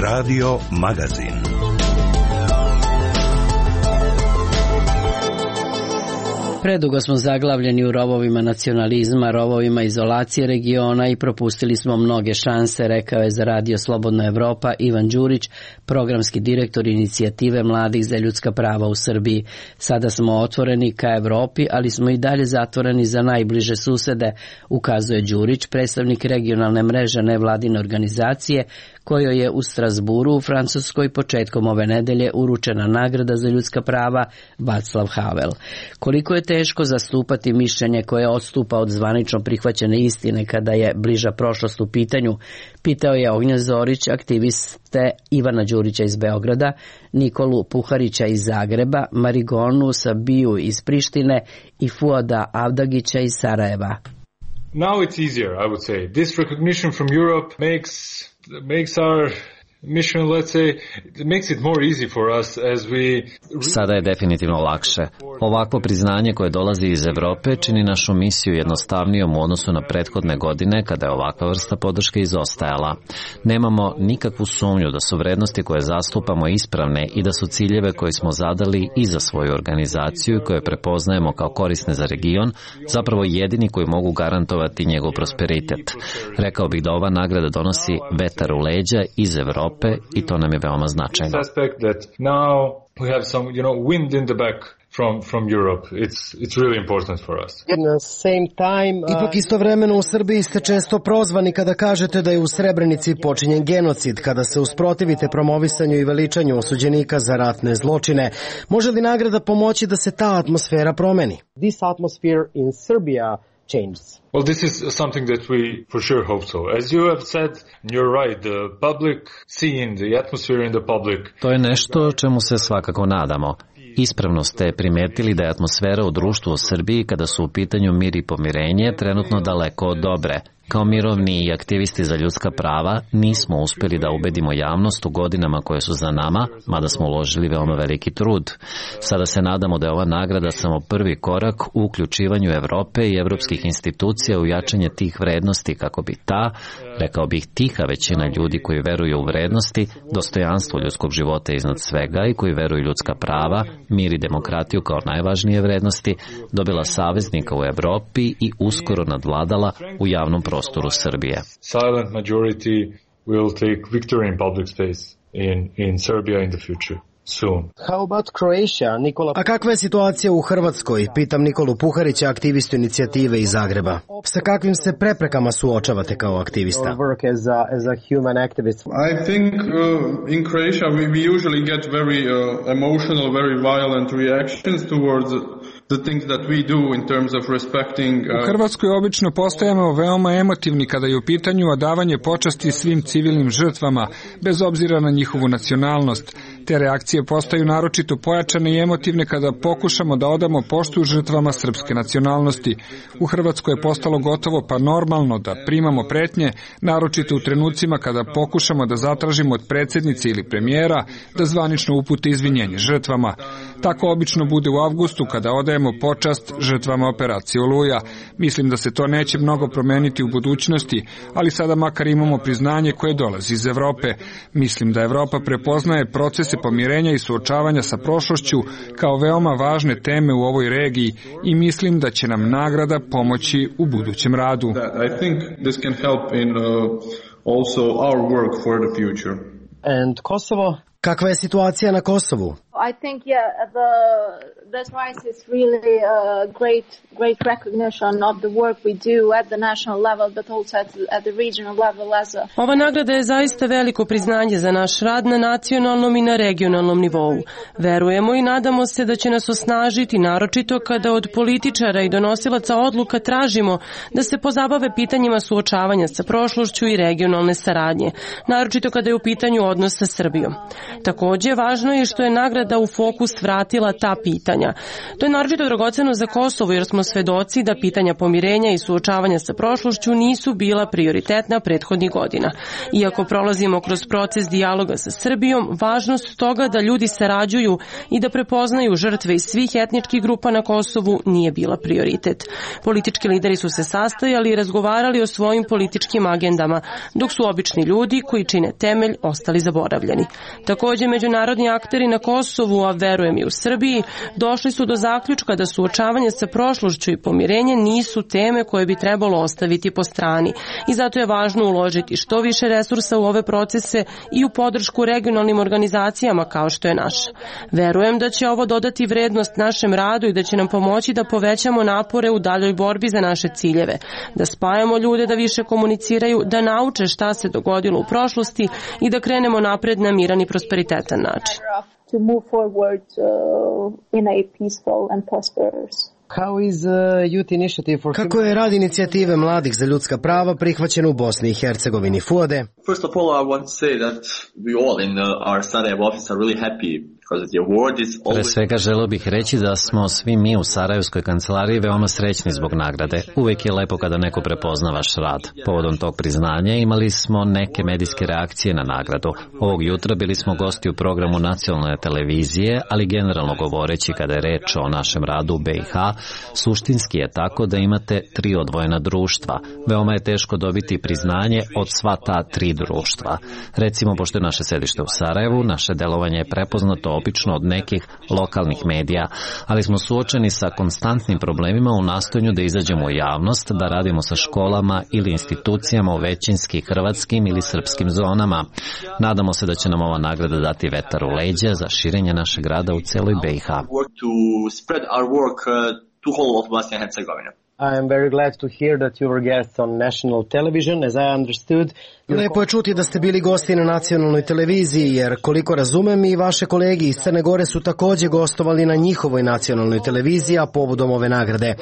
Radio Magazin. Predugo smo zaglavljeni u rovovima nacionalizma, rovovima izolacije regiona i propustili smo mnoge šanse, rekao je za Radio Slobodna Evropa Ivan Đurić, programski direktor Inicijative mladih za ljudska prava u Srbiji. Sada smo otvoreni ka Evropi, ali smo i dalje zatvoreni za najbliže susede, ukazuje Đurić, predstavnik regionalne mreže nevladine organizacije, kojoj je u Strasburu u Francuskoj početkom ove nedelje uručena nagrada za ljudska prava Vaclav Havel. Koliko je teško zastupati mišljenje koje odstupa od zvanično prihvaćene istine kada je bliža prošlost u pitanju, pitao je Ognjen Zorić, aktiviste Ivana Đurića iz Beograda, Nikolu Puharića iz Zagreba, Marigonu Sabiju iz Prištine i Fuada Avdagića iz Sarajeva. Now it's easier, I would say. This recognition from Europe makes makes our mission, let's say, it makes it more easy for us as we... Sada je definitivno lakše. Ovakvo priznanje koje dolazi iz Evrope čini našu misiju jednostavnijom u odnosu na prethodne godine kada je ovakva vrsta podrške izostajala. Nemamo nikakvu sumnju da su vrednosti koje zastupamo ispravne i da su ciljeve koje smo zadali i za svoju organizaciju i koje prepoznajemo kao korisne za region zapravo jedini koji mogu garantovati njegov prosperitet. Rekao bih da ova nagrada donosi vetar u leđa iz Evrope i to nam je veoma značajno. From, from Europe. It's, it's really important for us. At the same time, uh... Ipak istovremeno u Srbiji ste često prozvani kada kažete da je u Srebrenici počinjen genocid, kada se usprotivite promovisanju i veličanju osuđenika za ratne zločine. Može li nagrada pomoći da se ta atmosfera promeni? This atmosphere in Serbia changes. Well, this is something that we for sure hope so. As you have said, you're right, the public scene, the atmosphere in the public. To je nešto čemu se svakako nadamo. Ispravno ste primetili da je atmosfera u društvu u Srbiji kada su u pitanju mir i pomirenje trenutno daleko od dobre. Kao mirovni i aktivisti za ljudska prava nismo uspjeli da ubedimo javnost u godinama koje su za nama, mada smo uložili veoma veliki trud. Sada se nadamo da je ova nagrada samo prvi korak u uključivanju Evrope i evropskih institucija u jačanje tih vrednosti kako bi ta, rekao bih tiha većina ljudi koji veruju u vrednosti, dostojanstvo ljudskog života iznad svega i koji veruju ljudska prava, mir i demokratiju kao najvažnije vrednosti, dobila saveznika u Evropi i uskoro nadvladala u javnom prostoru Srbije. Silent majority will take victory in public space in, in Serbia in the future. soon. How about Croatia, Nikola? A kakva je situacija u Hrvatskoj? Pitam Nikolu Puharića, aktivistu inicijative iz Zagreba. Sa kakvim se preprekama suočavate kao aktivista? Work as a, as a human activist. I think uh, in Croatia we, we usually get very uh, emotional, very violent reactions towards the things that we do in terms of respecting. Uh... U Hrvatskoj obično postajemo veoma emotivni kada je u pitanju odavanje počasti svim civilnim žrtvama, bez obzira na njihovu nacionalnost. Te reakcije postaju naročito pojačane i emotivne kada pokušamo da odamo poštu žrtvama srpske nacionalnosti. U Hrvatskoj je postalo gotovo pa normalno da primamo pretnje, naročito u trenucima kada pokušamo da zatražimo od predsjednice ili premijera da zvanično upute izvinjenje žrtvama. Tako obično bude u avgustu kada odajemo počast žrtvama operacije Oluja. Mislim da se to neće mnogo promeniti u budućnosti, ali sada makar imamo priznanje koje dolazi iz Evrope. Mislim da Evropa prepoznaje procese pomirenja i suočavanja sa prošlošću kao veoma važne teme u ovoj regiji i mislim da će nam nagrada pomoći u budućem radu. I think this can help in uh, also our work for the future. And Kosovo? Kakva je situacija na Kosovu? I think yeah the this prize is really a great great recognition of the work we do at the national level but also at the, at the regional level as a Ova nagrada je zaista veliko priznanje za naš rad na nacionalnom i na regionalnom nivou. Verujemo i nadamo se da će nas osnažiti, naročito kada od političara i donosilaca odluka tražimo da se pozabave pitanjima suočavanja sa prošlošću i regionalne saradnje, naročito kada je u pitanju odnos sa Srbijom. Takođe, važno je što je nagrada da u fokus vratila ta pitanja. To je naročito dragoceno za Kosovo jer smo svedoci da pitanja pomirenja i suočavanja sa prošlošću nisu bila prioritetna prethodnih godina. Iako prolazimo kroz proces dijaloga sa Srbijom, važnost toga da ljudi sarađuju i da prepoznaju žrtve iz svih etničkih grupa na Kosovu nije bila prioritet. Politički lideri su se sastajali i razgovarali o svojim političkim agendama, dok su obični ljudi koji čine temelj ostali zaboravljeni. Takođe, međunarodni akteri na Kosovu, a verujem i u Srbiji, došli su do zaključka da suočavanje sa prošlošću i pomirenje nisu teme koje bi trebalo ostaviti po strani i zato je važno uložiti što više resursa u ove procese i u podršku regionalnim organizacijama kao što je naša. Verujem da će ovo dodati vrednost našem radu i da će nam pomoći da povećamo napore u daljoj borbi za naše ciljeve, da spajamo ljude da više komuniciraju, da nauče šta se dogodilo u prošlosti i da krenemo napred na miran i prosperitetan način. to move forward uh, in a peaceful and prosperous. How is, uh, youth initiative for... Kako je rad inicijative mladih za ljudska prava prihvaćen u Bosni i Hercegovini? Fuade? First of all, I want to say that we all in uh, our Sarajevo office are really happy. Pre svega želeo bih reći da smo svi mi u Sarajevskoj kancelariji veoma srećni zbog nagrade. Uvijek je lepo kada neko prepozna vaš rad. Povodom tog priznanja imali smo neke medijske reakcije na nagradu. Ovog jutra bili smo gosti u programu nacionalne televizije, ali generalno govoreći kada je reč o našem radu u B i H, suštinski je tako da imate tri odvojena društva. Veoma je teško dobiti priznanje od sva ta tri društva. Recimo, pošto je naše sedište u Sarajevu, naše delovanje je prepoznato obično od nekih lokalnih medija, ali smo suočeni sa konstantnim problemima u nastojanju da izađemo u javnost, da radimo sa školama ili institucijama u većinski hrvatskim ili srpskim zonama. Nadamo se da će nam ova nagrada dati vetar u leđa za širenje našeg rada u celoj B i H. I am very glad to hear that you were guests on national television, as I understood. Lepo je čuti da ste bili gosti na nacionalnoj televiziji, jer koliko razumem i vaše kolegi iz Crne Gore su takođe gostovali na njihovoj nacionalnoj televiziji, a povodom ove nagrade.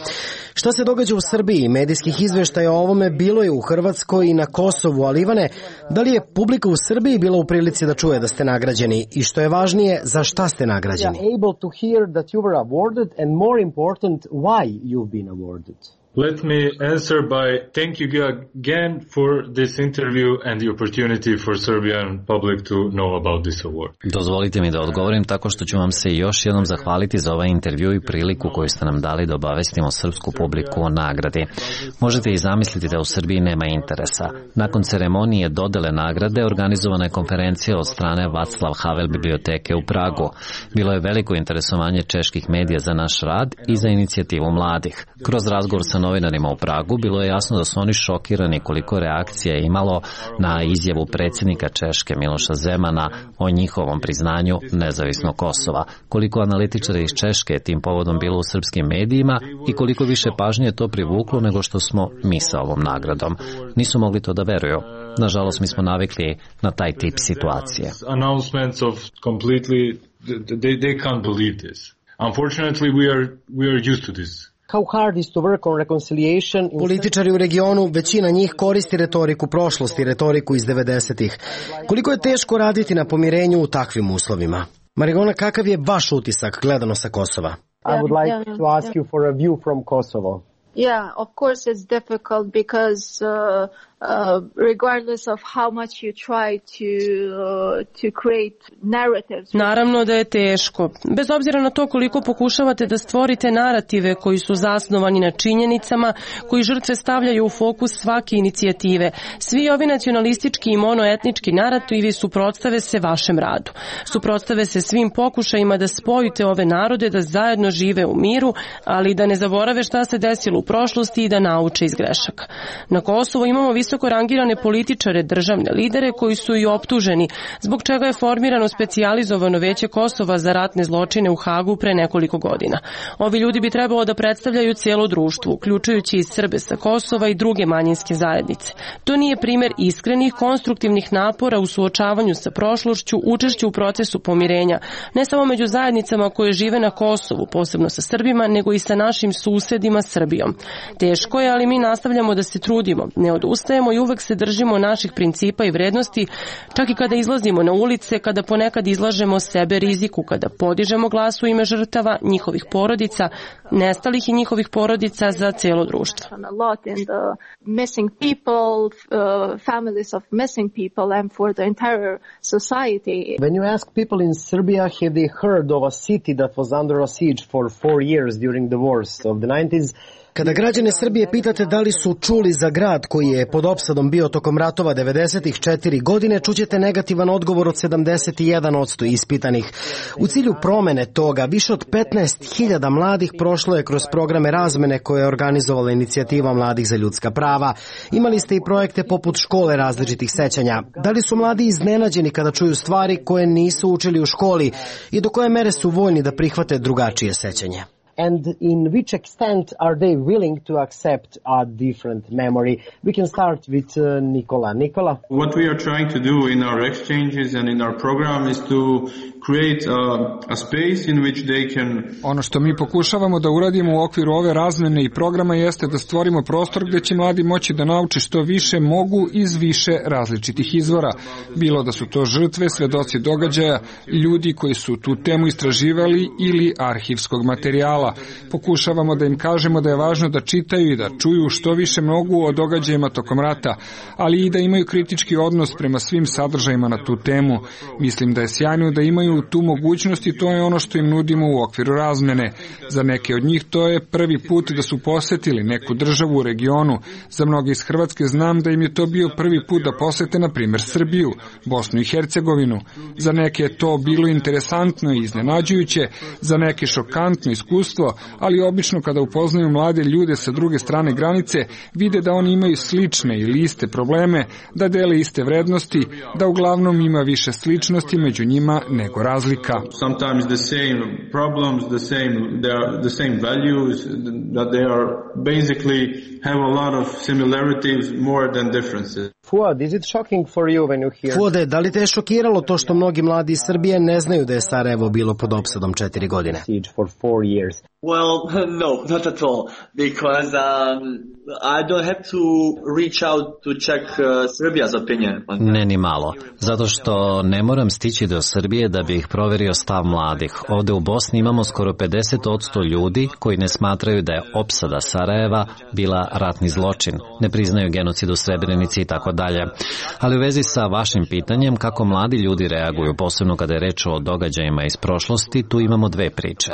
Šta se događa u Srbiji? Medijskih izveštaja o ovome bilo je u Hrvatskoj i na Kosovu, ali Ivane, da li je publika u Srbiji bila u prilici da čuje da ste nagrađeni i što je važnije, za šta ste nagrađeni? Able to hear that you were awarded and more important, why you've been awarded. Let me answer by thank you again for this interview and the opportunity for Serbian public to know about this award. Dozvolite mi da odgovorim tako što ću vam se još jednom zahvaliti za ovaj intervju i priliku koju ste nam dali da obavestimo srpsku publiku o nagradi. Možete i zamisliti da u Srbiji nema interesa. Nakon ceremonije dodele nagrade organizovana je konferencija od strane Václav Havel biblioteke u Pragu. Bilo je veliko interesovanje čeških medija za naš rad i za inicijativu mladih. Kroz razgovor sa novinarima u Pragu, bilo je jasno da su oni šokirani koliko reakcija je imalo na izjavu predsjednika Češke Miloša Zemana o njihovom priznanju nezavisnog Kosova, koliko analitičara iz Češke je tim povodom bilo u srpskim medijima i koliko više pažnje je to privuklo nego što smo mi sa ovom nagradom. Nisu mogli to da veruju. Nažalost, mi smo navikli na taj tip situacije. Announcements of completely they they can't believe this. Unfortunately, we are we are used to this. How hard is to work on reconciliation? Političari u regionu, većina njih koristi retoriku prošlosti, retoriku iz devedesetih. Koliko je teško raditi na pomirenju u takvim uslovima? Marigona, kakav je vaš utisak gledano sa Kosova? I would like to ask you for a view from Kosovo. Yeah, of course it's difficult because uh, uh, regardless of how much you try to uh, to create narratives. Naravno da je teško. Bez obzira na to koliko pokušavate da stvorite narative koji su zasnovani na činjenicama, koji žrtve stavljaju u fokus svake inicijative. Svi ovi nacionalistički i monoetnički narativi suprotstave se vašem radu. Suprotstave se svim pokušajima da spojite ove narode da zajedno žive u miru, ali da ne zaborave šta se desilo u prošlosti i da nauče iz grešaka. Na Kosovu imamo visoko rangirane političare, državne lidere koji su i optuženi, zbog čega je formirano specijalizovano veće Kosova za ratne zločine u Hagu pre nekoliko godina. Ovi ljudi bi trebalo da predstavljaju cijelo društvo, uključujući i Srbe sa Kosova i druge manjinske zajednice. To nije primer iskrenih, konstruktivnih napora u suočavanju sa prošlošću, učešću u procesu pomirenja, ne samo među zajednicama koje žive na Kosovu, posebno sa Srbima, nego i sa našim susedima Srbijom. Teško je, ali mi nastavljamo da se trudimo, ne odustajemo i uvek se držimo naših principa i vrednosti, čak i kada izlazimo na ulice, kada ponekad izlažemo sebe riziku, kada podižemo glas u ime žrtava, njihovih porodica, nestalih i njihovih porodica za cijelo društvo. When you ask people in Serbia, have they heard of a city that was under a siege for four years during the wars of the nineties? Kada građane Srbije pitate da li su čuli za grad koji je pod opsadom bio tokom ratova devedesetih četiri godine, čućete negativan odgovor od sedamdeset jedan posto ispitanih. U cilju promene toga, više od petnaest hiljada mladih prošlo je kroz programe razmene koje je organizovala inicijativa Mladih za ljudska prava. Imali ste i projekte poput škole različitih sećanja. Da li su mladi iznenađeni kada čuju stvari koje nisu učili u školi i do koje mere su voljni da prihvate drugačije sećanje? And in which extent are they willing to accept a different memory? We can start with uh, Nicola. Nicola? What we are trying to do in our exchanges and in our program is to create a, a space in which they can... Ono što mi pokušavamo da uradimo u okviru ove razmene i programa jeste da stvorimo prostor gde će mladi moći da nauče što više mogu iz više različitih izvora. Bilo da su to žrtve, svedoci događaja, ljudi koji su tu temu istraživali ili arhivskog materijala. Pokušavamo da im kažemo da je važno da čitaju i da čuju što više mogu o događajima tokom rata, ali i da imaju kritički odnos prema svim sadržajima na tu temu. Mislim da je sjajno da imaju tu mogućnost i to je ono što im nudimo u okviru razmene. Za neke od njih to je prvi put da su posetili neku državu u regionu. Za mnoge iz Hrvatske znam da im je to bio prvi put da posete, na primjer, Srbiju, Bosnu i Hercegovinu. Za neke je to bilo interesantno i iznenađujuće, za neke šokantno iskustvo, ali obično kada upoznaju mlade ljude sa druge strane granice, vide da oni imaju slične ili iste probleme, da dele iste vrednosti, da uglavnom ima više sličnosti među njima nego razlika. Sometimes the same problems, the same they are the same values, that they are basically have a lot of similarities more than differences. Fuad, is it shocking for you when you hear... Fuade, da li te je šokiralo to što mnogi mladi iz Srbije ne znaju da je Sarajevo bilo pod opsadom četiri godine? Siege for four years. Well, no, not at all, because um, I don't have to reach out to check uh, Serbia's opinion on that. Ne ni malo, zato što ne moram stići do Srbije da bih proverio stav mladih. Ovde u Bosni imamo skoro pedeset posto ljudi koji ne smatraju da je opsada Sarajeva bila ratni zločin, ne priznaju genocid u Srebrenici i tako dalje. Ali u vezi sa vašim pitanjem kako mladi ljudi reaguju, posebno kada je reč o događajima iz prošlosti, tu imamo dve priče.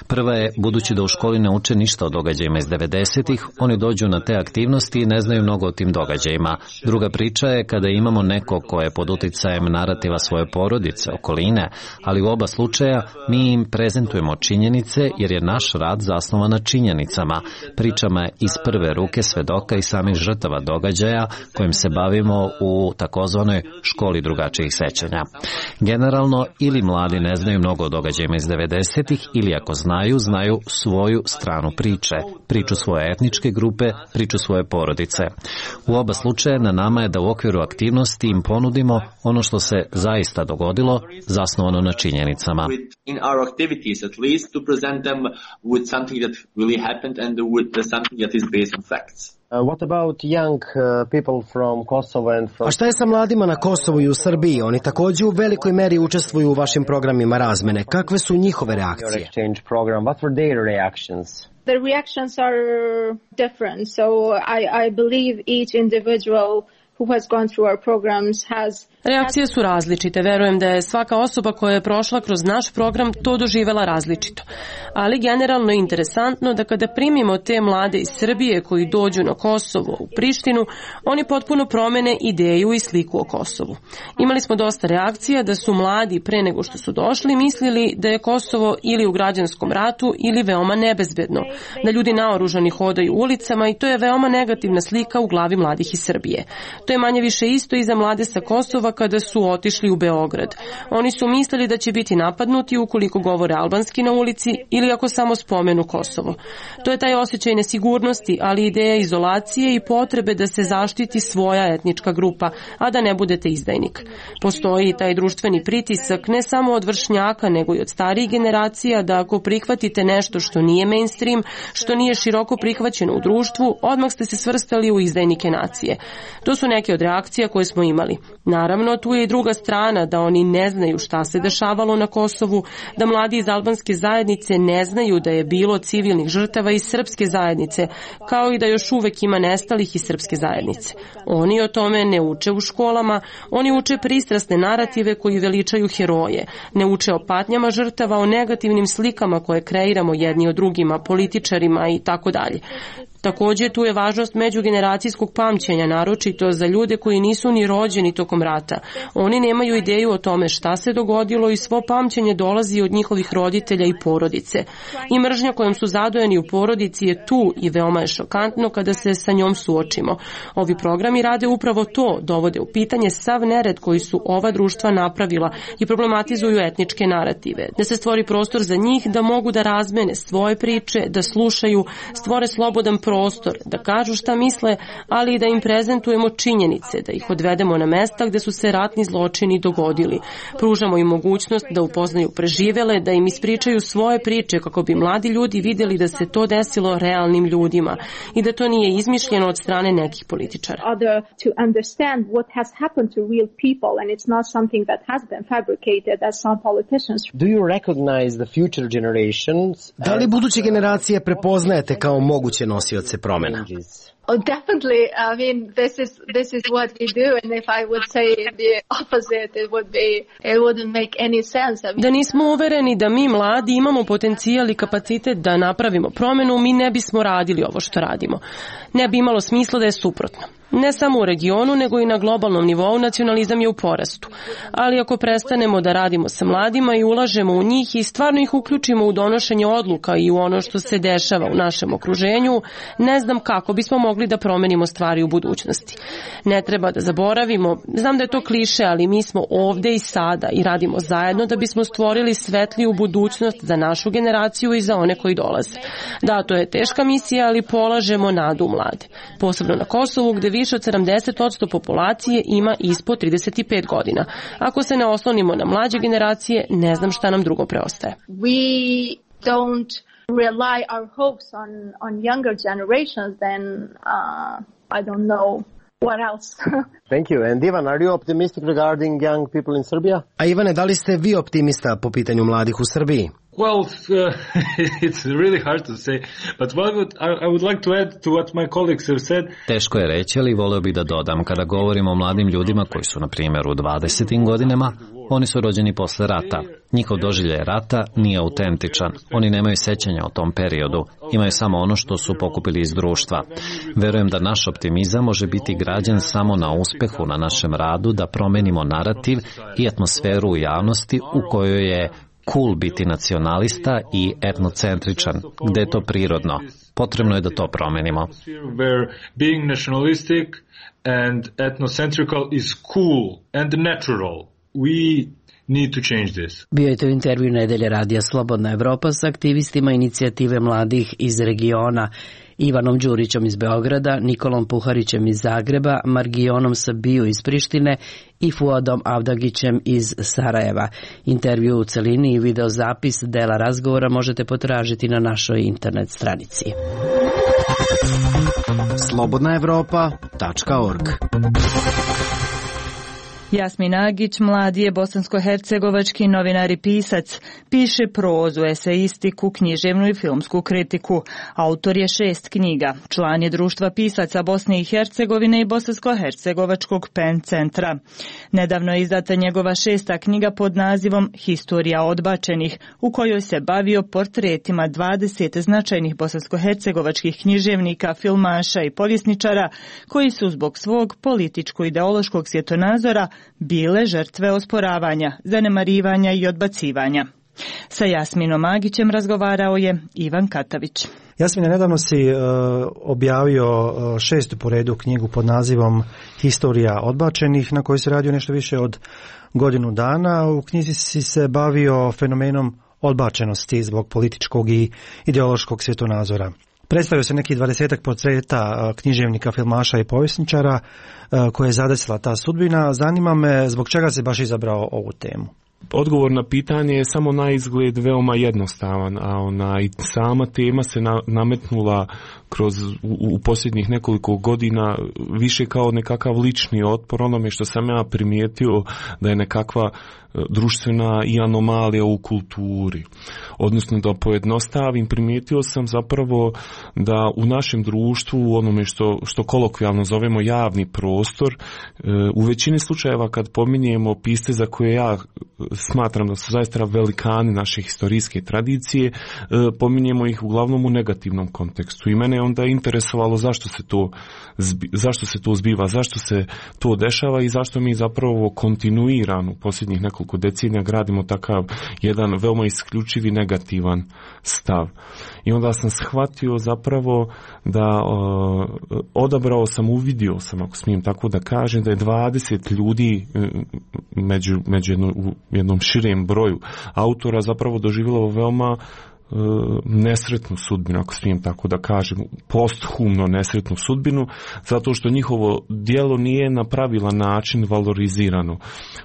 Prva je, budući da u školi ne uče ništa o događajima iz devedesetih, oni dođu dođu na te aktivnosti ne znaju mnogo o tim događajima. Druga priča je kada imamo neko ko je pod uticajem narativa svoje porodice, okoline, ali u oba slučaja mi im prezentujemo činjenice jer je naš rad zasnovan na činjenicama, pričama iz prve ruke svedoka i samih žrtava događaja kojim se bavimo u takozvanoj školi drugačijih sećanja. Generalno, ili mladi ne znaju mnogo o događajima iz devedesetih, ili ako znaju, znaju svoju stranu priče, priču svoje etničke grupe, priču svoje porodice. U oba slučaja na nama je da u okviru aktivnosti im ponudimo ono što se zaista dogodilo, zasnovano na činjenicama. In our activities at least to present them with something that really happened and with something that is based on facts. Uh, what about young uh, people from Kosovo and from... A šta je sa mladima na Kosovu i u Srbiji? Oni također u velikoj meri učestvuju u vašim programima razmene. Kakve su njihove reakcije? Exchange program. What were their reactions? The reactions are different. So I, I believe each individual who has gone through our programs has... Reakcije su različite. Verujem da je svaka osoba koja je prošla kroz naš program to doživela različito. Ali generalno je interesantno da kada primimo te mlade iz Srbije koji dođu na Kosovo u Prištinu, oni potpuno promene ideju i sliku o Kosovu. Imali smo dosta reakcija da su mladi pre nego što su došli mislili da je Kosovo ili u građanskom ratu ili veoma nebezbedno, da ljudi naoružani hodaju ulicama i to je veoma negativna slika u glavi mladih iz Srbije. To je manje više isto i za mlade sa Kosova kada su otišli u Beograd. Oni su mislili da će biti napadnuti ukoliko govore albanski na ulici ili ako samo spomenu Kosovo. To je taj osjećaj nesigurnosti, ali ideja izolacije i potrebe da se zaštiti svoja etnička grupa, a da ne budete izdajnik. Postoji i taj društveni pritisak ne samo od vršnjaka, nego i od starijih generacija da ako prihvatite nešto što nije mainstream, što nije široko prihvaćeno u društvu, odmah ste se svrstali u izdajnike nacije. To su neke od reakcija koje smo imali. Naravno, tu je i druga strana, da oni ne znaju šta se dešavalo na Kosovu, da mladi iz albanske zajednice ne znaju da je bilo civilnih žrtava iz srpske zajednice, kao i da još uvek ima nestalih iz srpske zajednice. Oni o tome ne uče u školama, oni uče pristrasne narative koji veličaju heroje, ne uče o patnjama žrtava, o negativnim slikama koje kreiramo jedni o drugima, političarima i tako dalje. Također tu je važnost međugeneracijskog pamćenja, naročito za ljude koji nisu ni rođeni tokom rata. Oni nemaju ideju o tome šta se dogodilo i svo pamćenje dolazi od njihovih roditelja i porodice. I mržnja kojom su zadojeni u porodici je tu i veoma je šokantno kada se sa njom suočimo. Ovi programi rade upravo to, dovode u pitanje sav nered koji su ova društva napravila i problematizuju etničke narative. Da se stvori prostor za njih da mogu da razmene svoje priče, da slušaju, stvore slobodan prostor, da kažu šta misle, ali i da im prezentujemo činjenice, da ih odvedemo na mesta gde su se ratni zločini dogodili. Pružamo im mogućnost da upoznaju preživele, da im ispričaju svoje priče kako bi mladi ljudi vidjeli da se to desilo realnim ljudima i da to nije izmišljeno od strane nekih političara. Do you recognize the future generations? Da li buduće generacije prepoznajete kao moguće nosioce promjena? Oh, definitely. I mean, this is this is what we do, and if I would say the opposite, it would be it wouldn't make any sense. I mean, da nismo uvereni da mi mladi imamo potencijal i kapacitet da napravimo promjenu, mi ne bismo radili ovo što radimo. Ne bi imalo smisla da je suprotno. Ne samo u regionu, nego i na globalnom nivou nacionalizam je u porastu. Ali ako prestanemo da radimo sa mladima i ulažemo u njih i stvarno ih uključimo u donošenje odluka i u ono što se dešava u našem okruženju, ne znam kako bismo mogli da promenimo stvari u budućnosti. Ne treba da zaboravimo, znam da je to kliše, ali mi smo ovde i sada i radimo zajedno da bismo stvorili svetliju budućnost za našu generaciju i za one koji dolaze. Da, to je teška misija, ali polažemo nadu u mlade. Posebno na Kosovu, gde više od sedamdeset posto populacije ima ispod trideset pet godina. Ako se ne oslonimo na mlađe generacije, ne znam šta nam drugo preostaje. We don't rely our hopes on on younger generations, then uh, I don't know what else. Thank you. And Ivan, are you optimistic regarding young people in Serbia? A Ivane, da li ste vi optimista po pitanju mladih u Srbiji? Well, uh, it's really hard to say, but what would, I, I would like to add to what my colleagues have said. Teško je reći, ali voleo bih da dodam, kada govorimo o mladim ljudima koji su, na primjer, u dvadesetim godinama, oni su rođeni posle rata. Njihov doživljaj rata nije autentičan. Oni nemaju sećanja o tom periodu. Imaju samo ono što su pokupili iz društva. Verujem da naš optimizam može biti građen samo na uspehu na našem radu, da promenimo narativ i atmosferu u javnosti u kojoj je cool biti nacionalista i etnocentričan, gde je to prirodno. Potrebno je da to promenimo. Being nationalistic and ethnocentrical is cool and natural. We need to change this. Bio je to intervju Nedelje radija Slobodna Evropa s aktivistima inicijative mladih iz regiona, Ivanom Đurićom iz Beograda, Nikolom Puharićem iz Zagreba, Margijonom Sabiju iz Prištine i Fuadom Avdagićem iz Sarajeva. Intervju u celini i videozapis dela razgovora možete potražiti na našoj internet stranici. slobodna evropa tačka org. Jasmin Agić, mladi je bosansko-hercegovački novinar i pisac. Piše prozu, eseistiku, književnu i filmsku kritiku. Autor je šest knjiga. Član je društva pisaca Bosne i Hercegovine i bosansko-hercegovačkog Pen centra. Nedavno je izdata njegova šesta knjiga pod nazivom Historija odbačenih, u kojoj se bavio portretima dvadeset značajnih bosansko-hercegovačkih književnika, filmaša i povjesničara koji su zbog svog političko-ideološkog svjetonazora bile žrtve osporavanja, zanemarivanja i odbacivanja. Sa Jasminom Agićem razgovarao je Ivan Katavić. Jasmine, nedavno si uh, objavio uh, šestu po redu knjigu pod nazivom Historija odbačenih, na kojoj se radio nešto više od godinu dana. U knjizi si se bavio fenomenom odbačenosti zbog političkog i ideološkog svjetonazora. Predstavio se neki dvadesetak portreta književnika, filmaša i povjesničara koje je zadesila ta sudbina. Zanima me zbog čega si baš izabrao ovu temu. Odgovor na pitanje je samo na izgled veoma jednostavan, a ona i sama tema se na, nametnula kroz u, u posljednjih nekoliko godina više kao nekakav lični otpor onome što sam ja primijetio da je nekakva društvena i anomalija u kulturi. Odnosno da pojednostavim, primijetio sam zapravo da u našem društvu, u onome što, što kolokvijalno zovemo javni prostor, u većini slučajeva kad pominjemo pisce za koje ja smatram da su zaista velikani naše historijske tradicije, pominjemo ih uglavnom u negativnom kontekstu. I mene je onda interesovalo zašto se to, zašto se to zbiva, zašto se to dešava i zašto mi zapravo kontinuirano posljednjih nekoliko decenija gradimo takav jedan veoma isključivi negativan stav. I onda sam shvatio zapravo da o, odabrao sam, uvidio sam, ako smijem tako da kažem, da je dvadeset ljudi među, među jedno, u jednom širem broju autora zapravo doživjelo veoma nesretnu sudbinu, ako smijem tako da kažem, posthumno nesretnu sudbinu, zato što njihovo djelo nije na pravilan način valorizirano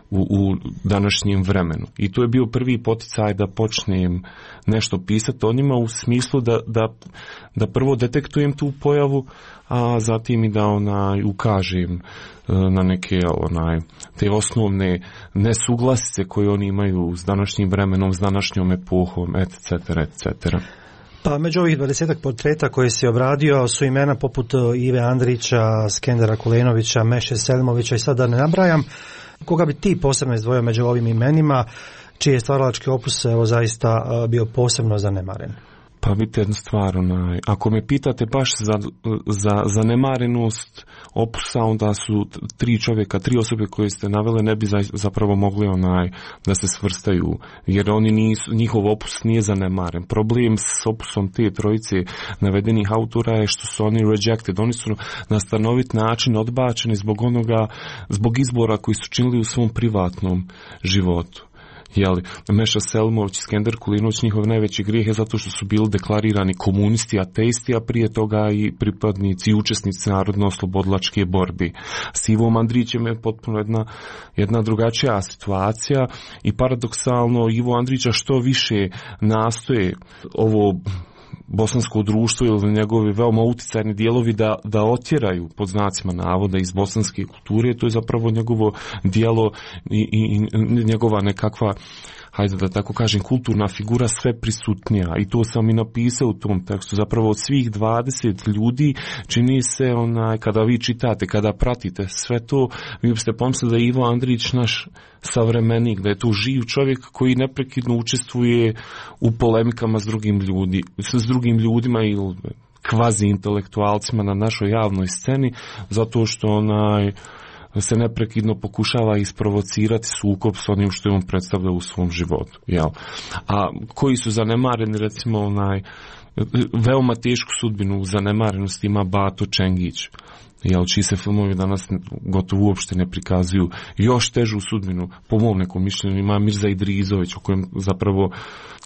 u, u današnjem vremenu. I to je bio prvi poticaj da počnem nešto pisati o njima u smislu da, da, da prvo detektujem tu pojavu, a zatim i da onaj ukažem na neke onaj te osnovne nesuglasice koje oni imaju s današnjim vremenom, s današnjom epohom, et cetera, et cetera. Pa među ovih dvadesetak portreta koje si obradio su imena poput Ive Andrića, Skendera Kulenovića, Meše Selimovića i sad da ne nabrajam. Koga bi ti posebno izdvojio među ovim imenima, čiji je stvaralački opus evo zaista bio posebno zanemaren? Pa vidite jednu stvar, onaj, ako me pitate baš za, za zanemarenost opusa, onda su tri čovjeka, tri osobe koje ste navele ne bi zapravo mogli onaj da se svrstaju, jer oni nisu, njihov opus nije zanemaren. Problem s opusom te trojice navedenih autora je što su oni rejected, oni su na stanovit način odbačeni zbog onoga, zbog izbora koji su činili u svom privatnom životu. Jeli, Meša Selimović i Skender Kulenović, njihov najveći grijeh je zato što su bili deklarirani komunisti, ateisti, a prije toga i pripadnici i učesnici narodno-oslobodilačke borbi. S Ivom Andrićem je potpuno jedna, jedna drugačija situacija i paradoksalno Ivo Andrića što više nastoje ovo bosansko društvo ili njegovi veoma uticajni dijelovi da, da otjeraju pod znacima navoda iz bosanske kulture, to je zapravo njegovo dijelo i, i, i njegova nekakva hajde da tako kažem, kulturna figura sve prisutnija i to sam i napisao u tom tekstu. Zapravo od svih dvadeset ljudi čini se onaj, kada vi čitate, kada pratite sve to, vi biste pomislili da je Ivo Andrić naš savremenik, da je to živ čovjek koji neprekidno učestvuje u polemikama s drugim, ljudi, s drugim ljudima ili kvazi intelektualcima na našoj javnoj sceni, zato što onaj se neprekidno pokušava isprovocirati sukob s onim što je on predstavlja u svom životu. Jel? A koji su zanemareni, recimo, onaj, veoma tešku sudbinu u zanemarenosti ima Bato Čengić, jel, čiji se filmovi danas gotovo uopšte ne prikazuju. Još težu sudbinu, po mom nekom mišljenju, ima Mirza Idrizović, o kojem zapravo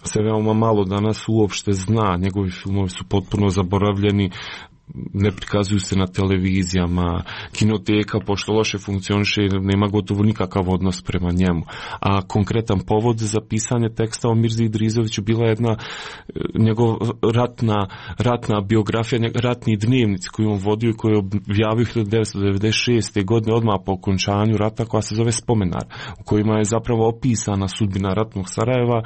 se veoma malo danas uopšte zna. Njegovi filmovi su potpuno zaboravljeni, ne prikazuju se na televizijama, kinoteka, pošto loše funkcioniše, nema gotovo nikakav odnos prema njemu. A konkretan povod za pisanje teksta o Mirzi Idrizoviću bila jedna njegov ratna, ratna biografija, ratni dnevnici koju on vodio i koju je objavio hiljadu devetsto devedeset šeste. godine odmah po okončanju rata, koja se zove Spomenar, u kojima je zapravo opisana sudbina ratnog Sarajeva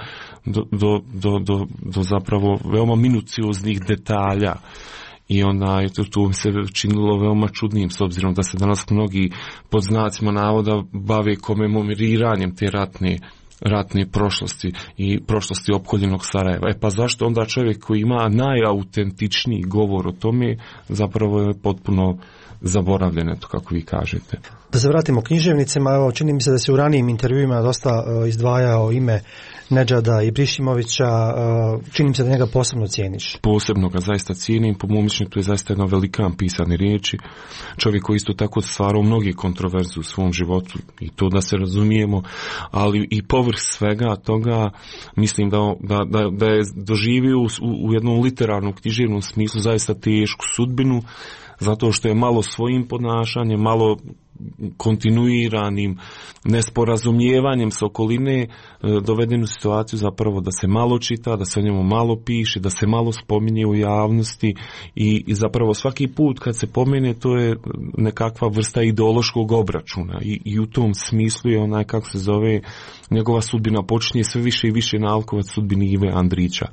do, do, do, do, do zapravo veoma minucioznih detalja. I onda je to, to se činilo veoma čudnim, s obzirom da se danas mnogi pod znacima navoda bave komemoriranjem te ratne, ratne prošlosti i prošlosti opkoljenog Sarajeva. E pa zašto onda čovjek koji ima najautentičniji govor o tome zapravo je potpuno zaboravljen, eto kako vi kažete. Da se vratimo književnicima, evo, čini mi se da se u ranijim intervjuima dosta uh, izdvajao ime Nedžada Ibrišimovića, uh, čini mi se da njega posebno cijeniš. Posebno ga zaista cijenim, po mom mišljenju to je zaista jedna velikan pisane riječi. Čovjek koji isto tako stvarao mnoge kontroverze u svom životu i to da se razumijemo, ali i povrh svega toga mislim da, da, da, da je doživio u, u jednom literarnom književnom smislu zaista tešku sudbinu, zato što je malo svojim ponašanjem, malo kontinuiranim nesporazumijevanjem s okoline doveden u situaciju zapravo da se malo čita, da se o njemu malo piše, da se malo spominje u javnosti i, i zapravo svaki put kad se pomene to je nekakva vrsta ideološkog obračuna i, i u tom smislu je onaj, kako se zove, njegova sudbina počinje sve više i više nalikovati sudbini Ive Andrića.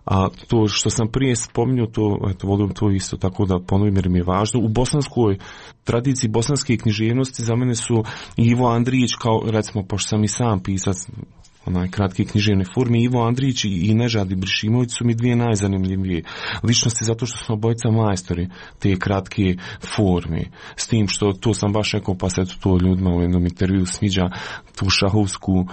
A to što sam prije spominjao, to, eto, volim to isto tako da ponovim jer mi je važno. U bosanskoj tradiciji bosanske književnosti za mene su Ivo Andrić, kao recimo, pošto sam i sam pisac onaj kratke književne forme, Ivo Andrić i Nežad Ibrišimović su mi dvije najzanimljivije ličnosti zato što smo obojica majstori te kratke forme. S tim što to sam baš rekao, pa se to ljudima u jednom intervju sviđa tu šahovsku,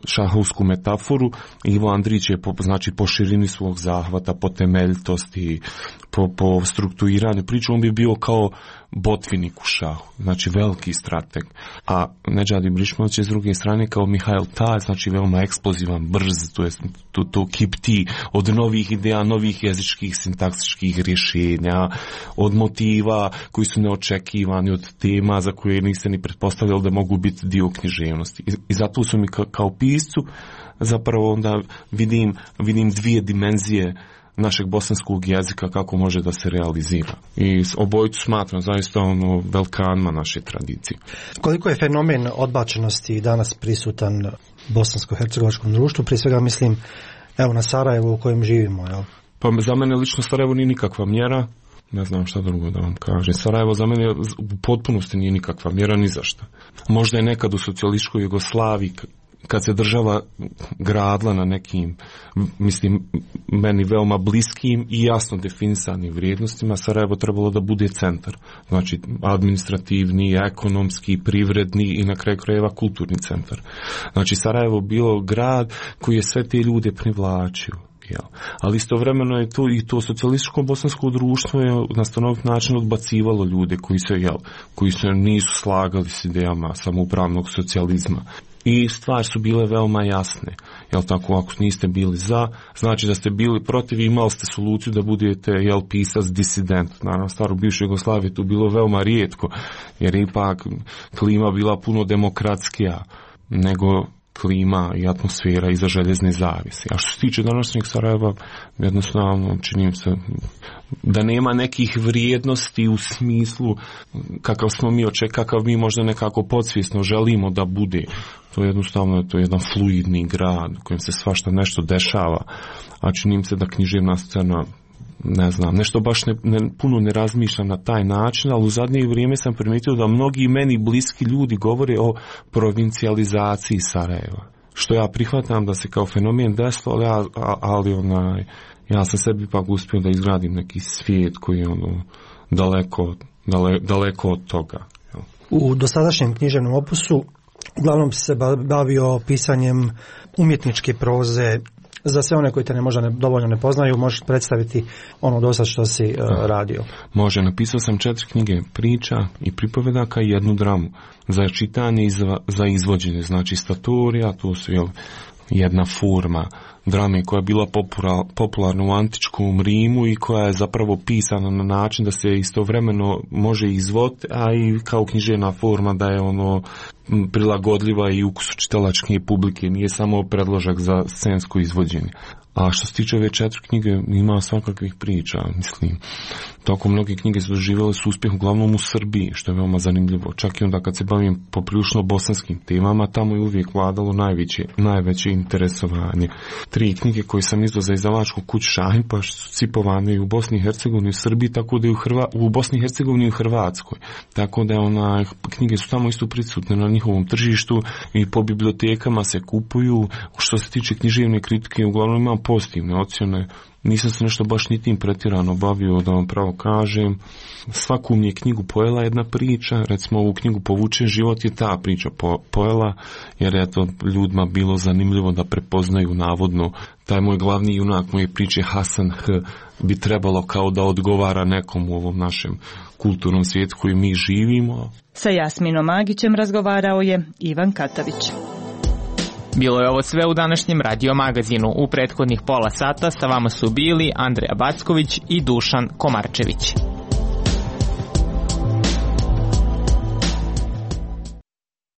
šahovsku metaforu. Ivo Andrić je po, znači, po širini svog zahvata, po temeljitosti, po, po strukturiranju priču, on bi bio kao botvinik u šahu, znači veliki strateg. A Nedžad Ibrišimović je s druge strane kao Mihail Taj, znači veoma eksplozivan, brz, to je to, to kipti od novih ideja, novih jezičkih sintaksičkih rješenja, od motiva koji su neočekivani, od tema za koje niste ni pretpostavljali da mogu biti dio književnosti. I, i zato su mi ka, kao piscu zapravo onda vidim, vidim dvije dimenzije našeg bosanskog jezika kako može da se realizira. I obojicu smatram zaista ono velkanima naše tradicije. Koliko je fenomen odbačenosti danas prisutan u bosansko-hercegovačkom društvu? Prije svega mislim evo na Sarajevo u kojem živimo. Jel? Pa za mene lično Sarajevo nije nikakva mjera. Ne znam šta drugo da vam kažem. Sarajevo za mene u potpunosti nije nikakva mjera ni za šta. Možda je nekad u socijalističkoj Jugoslaviji kad se država gradila na nekim, mislim, meni veoma bliskim i jasno definisanim vrijednostima, Sarajevo trebalo da bude centar. Znači, administrativni, ekonomski, privredni i na kraju krajeva kulturni centar. Znači, Sarajevo bilo grad koji je sve te ljude privlačio. Jel. Ali istovremeno je to i to socijalističko bosansko društvo je na stanovit način odbacivalo ljude koji se, jel, koji se nisu slagali s idejama samoupravnog socijalizma. I stvari su bile veoma jasne. Jel tako, ako niste bili za, znači da ste bili protiv i imali ste soluciju da budete, jel, pisac disident. Naravno, staro bivše Jugoslavije tu bilo veoma rijetko, jer ipak klima bila puno demokratskija nego klima i atmosfera iza željezne zavise. A što se tiče današnjeg Sarajeva, jednostavno činim se da nema nekih vrijednosti u smislu kakav smo mi očekali, kakav mi možda nekako podsvjesno želimo da bude. To je jednostavno to je jedan fluidni grad u kojem se svašta nešto dešava, a činim se da književna scena, ne znam, nešto baš ne, ne, puno ne razmišlja na taj način, ali u zadnje vrijeme sam primijetio da mnogi meni bliski ljudi govore o provincijalizaciji Sarajeva. Što ja prihvatam da se kao fenomen desilo, ali, ja, ali onaj, ja sam sebi ipak uspio da izgradim neki svijet koji je ono, daleko, dale, daleko od toga. U dosadašnjem književnom opusu uglavnom si se bavio pisanjem umjetničke proze. Za sve one koji te ne možda ne, dovoljno ne poznaju, možeš predstaviti ono do sad što si uh, radio. Može, napisao sam četiri knjige priča i pripovedaka i jednu dramu za čitanje i za, za izvođenje. Znači statorija, tu su jel, jedna forma drame koja je bila popular, popularna u antičkom Rimu i koja je zapravo pisana na način da se istovremeno može izvoditi, a i kao književna forma da je ono prilagodljiva i ukusu čitalačke publike, nije samo predložak za scensko izvođenje. A što se tiče ove četiri knjige, ima svakakvih priča, mislim. Tako mnoge knjige su doživjele su uspjeh uglavnom u Srbiji, što je veoma zanimljivo. Čak i onda kad se bavim poprilično bosanskim temama, tamo je uvijek vladalo najveće, najveće interesovanje. Tri knjige koje sam izdao za izdavačku kuću Šajnpaš su cipovane i u Bosni i Hercegovini, u Srbiji, tako da i u, Hrva, u Bosni i Hercegovini i u Hrvatskoj. Tako da ona, knjige su tamo isto prisutne na njihovom tržištu i po bibliotekama se kupuju. Što se tiče književne kritike, uglavnom imam pozitivne ocjene. Nisam se nešto baš ni tim pretjerano bavio, da vam pravo kažem. Svaku mi je knjigu pojela jedna priča, recimo ovu knjigu Povučen život je ta priča po, pojela, jer je to ljudima bilo zanimljivo da prepoznaju navodno taj moj glavni junak moje priče Hasan H bi trebalo kao da odgovara nekom u ovom našem kulturnom svijetu koji mi živimo. Sa Jasminom Magićem razgovarao je Ivan Katavić. Bilo je ovo sve u današnjem Radio magazinu. U prethodnih pola sata sa vama su bili Andreja Backović i Dušan Komarčević.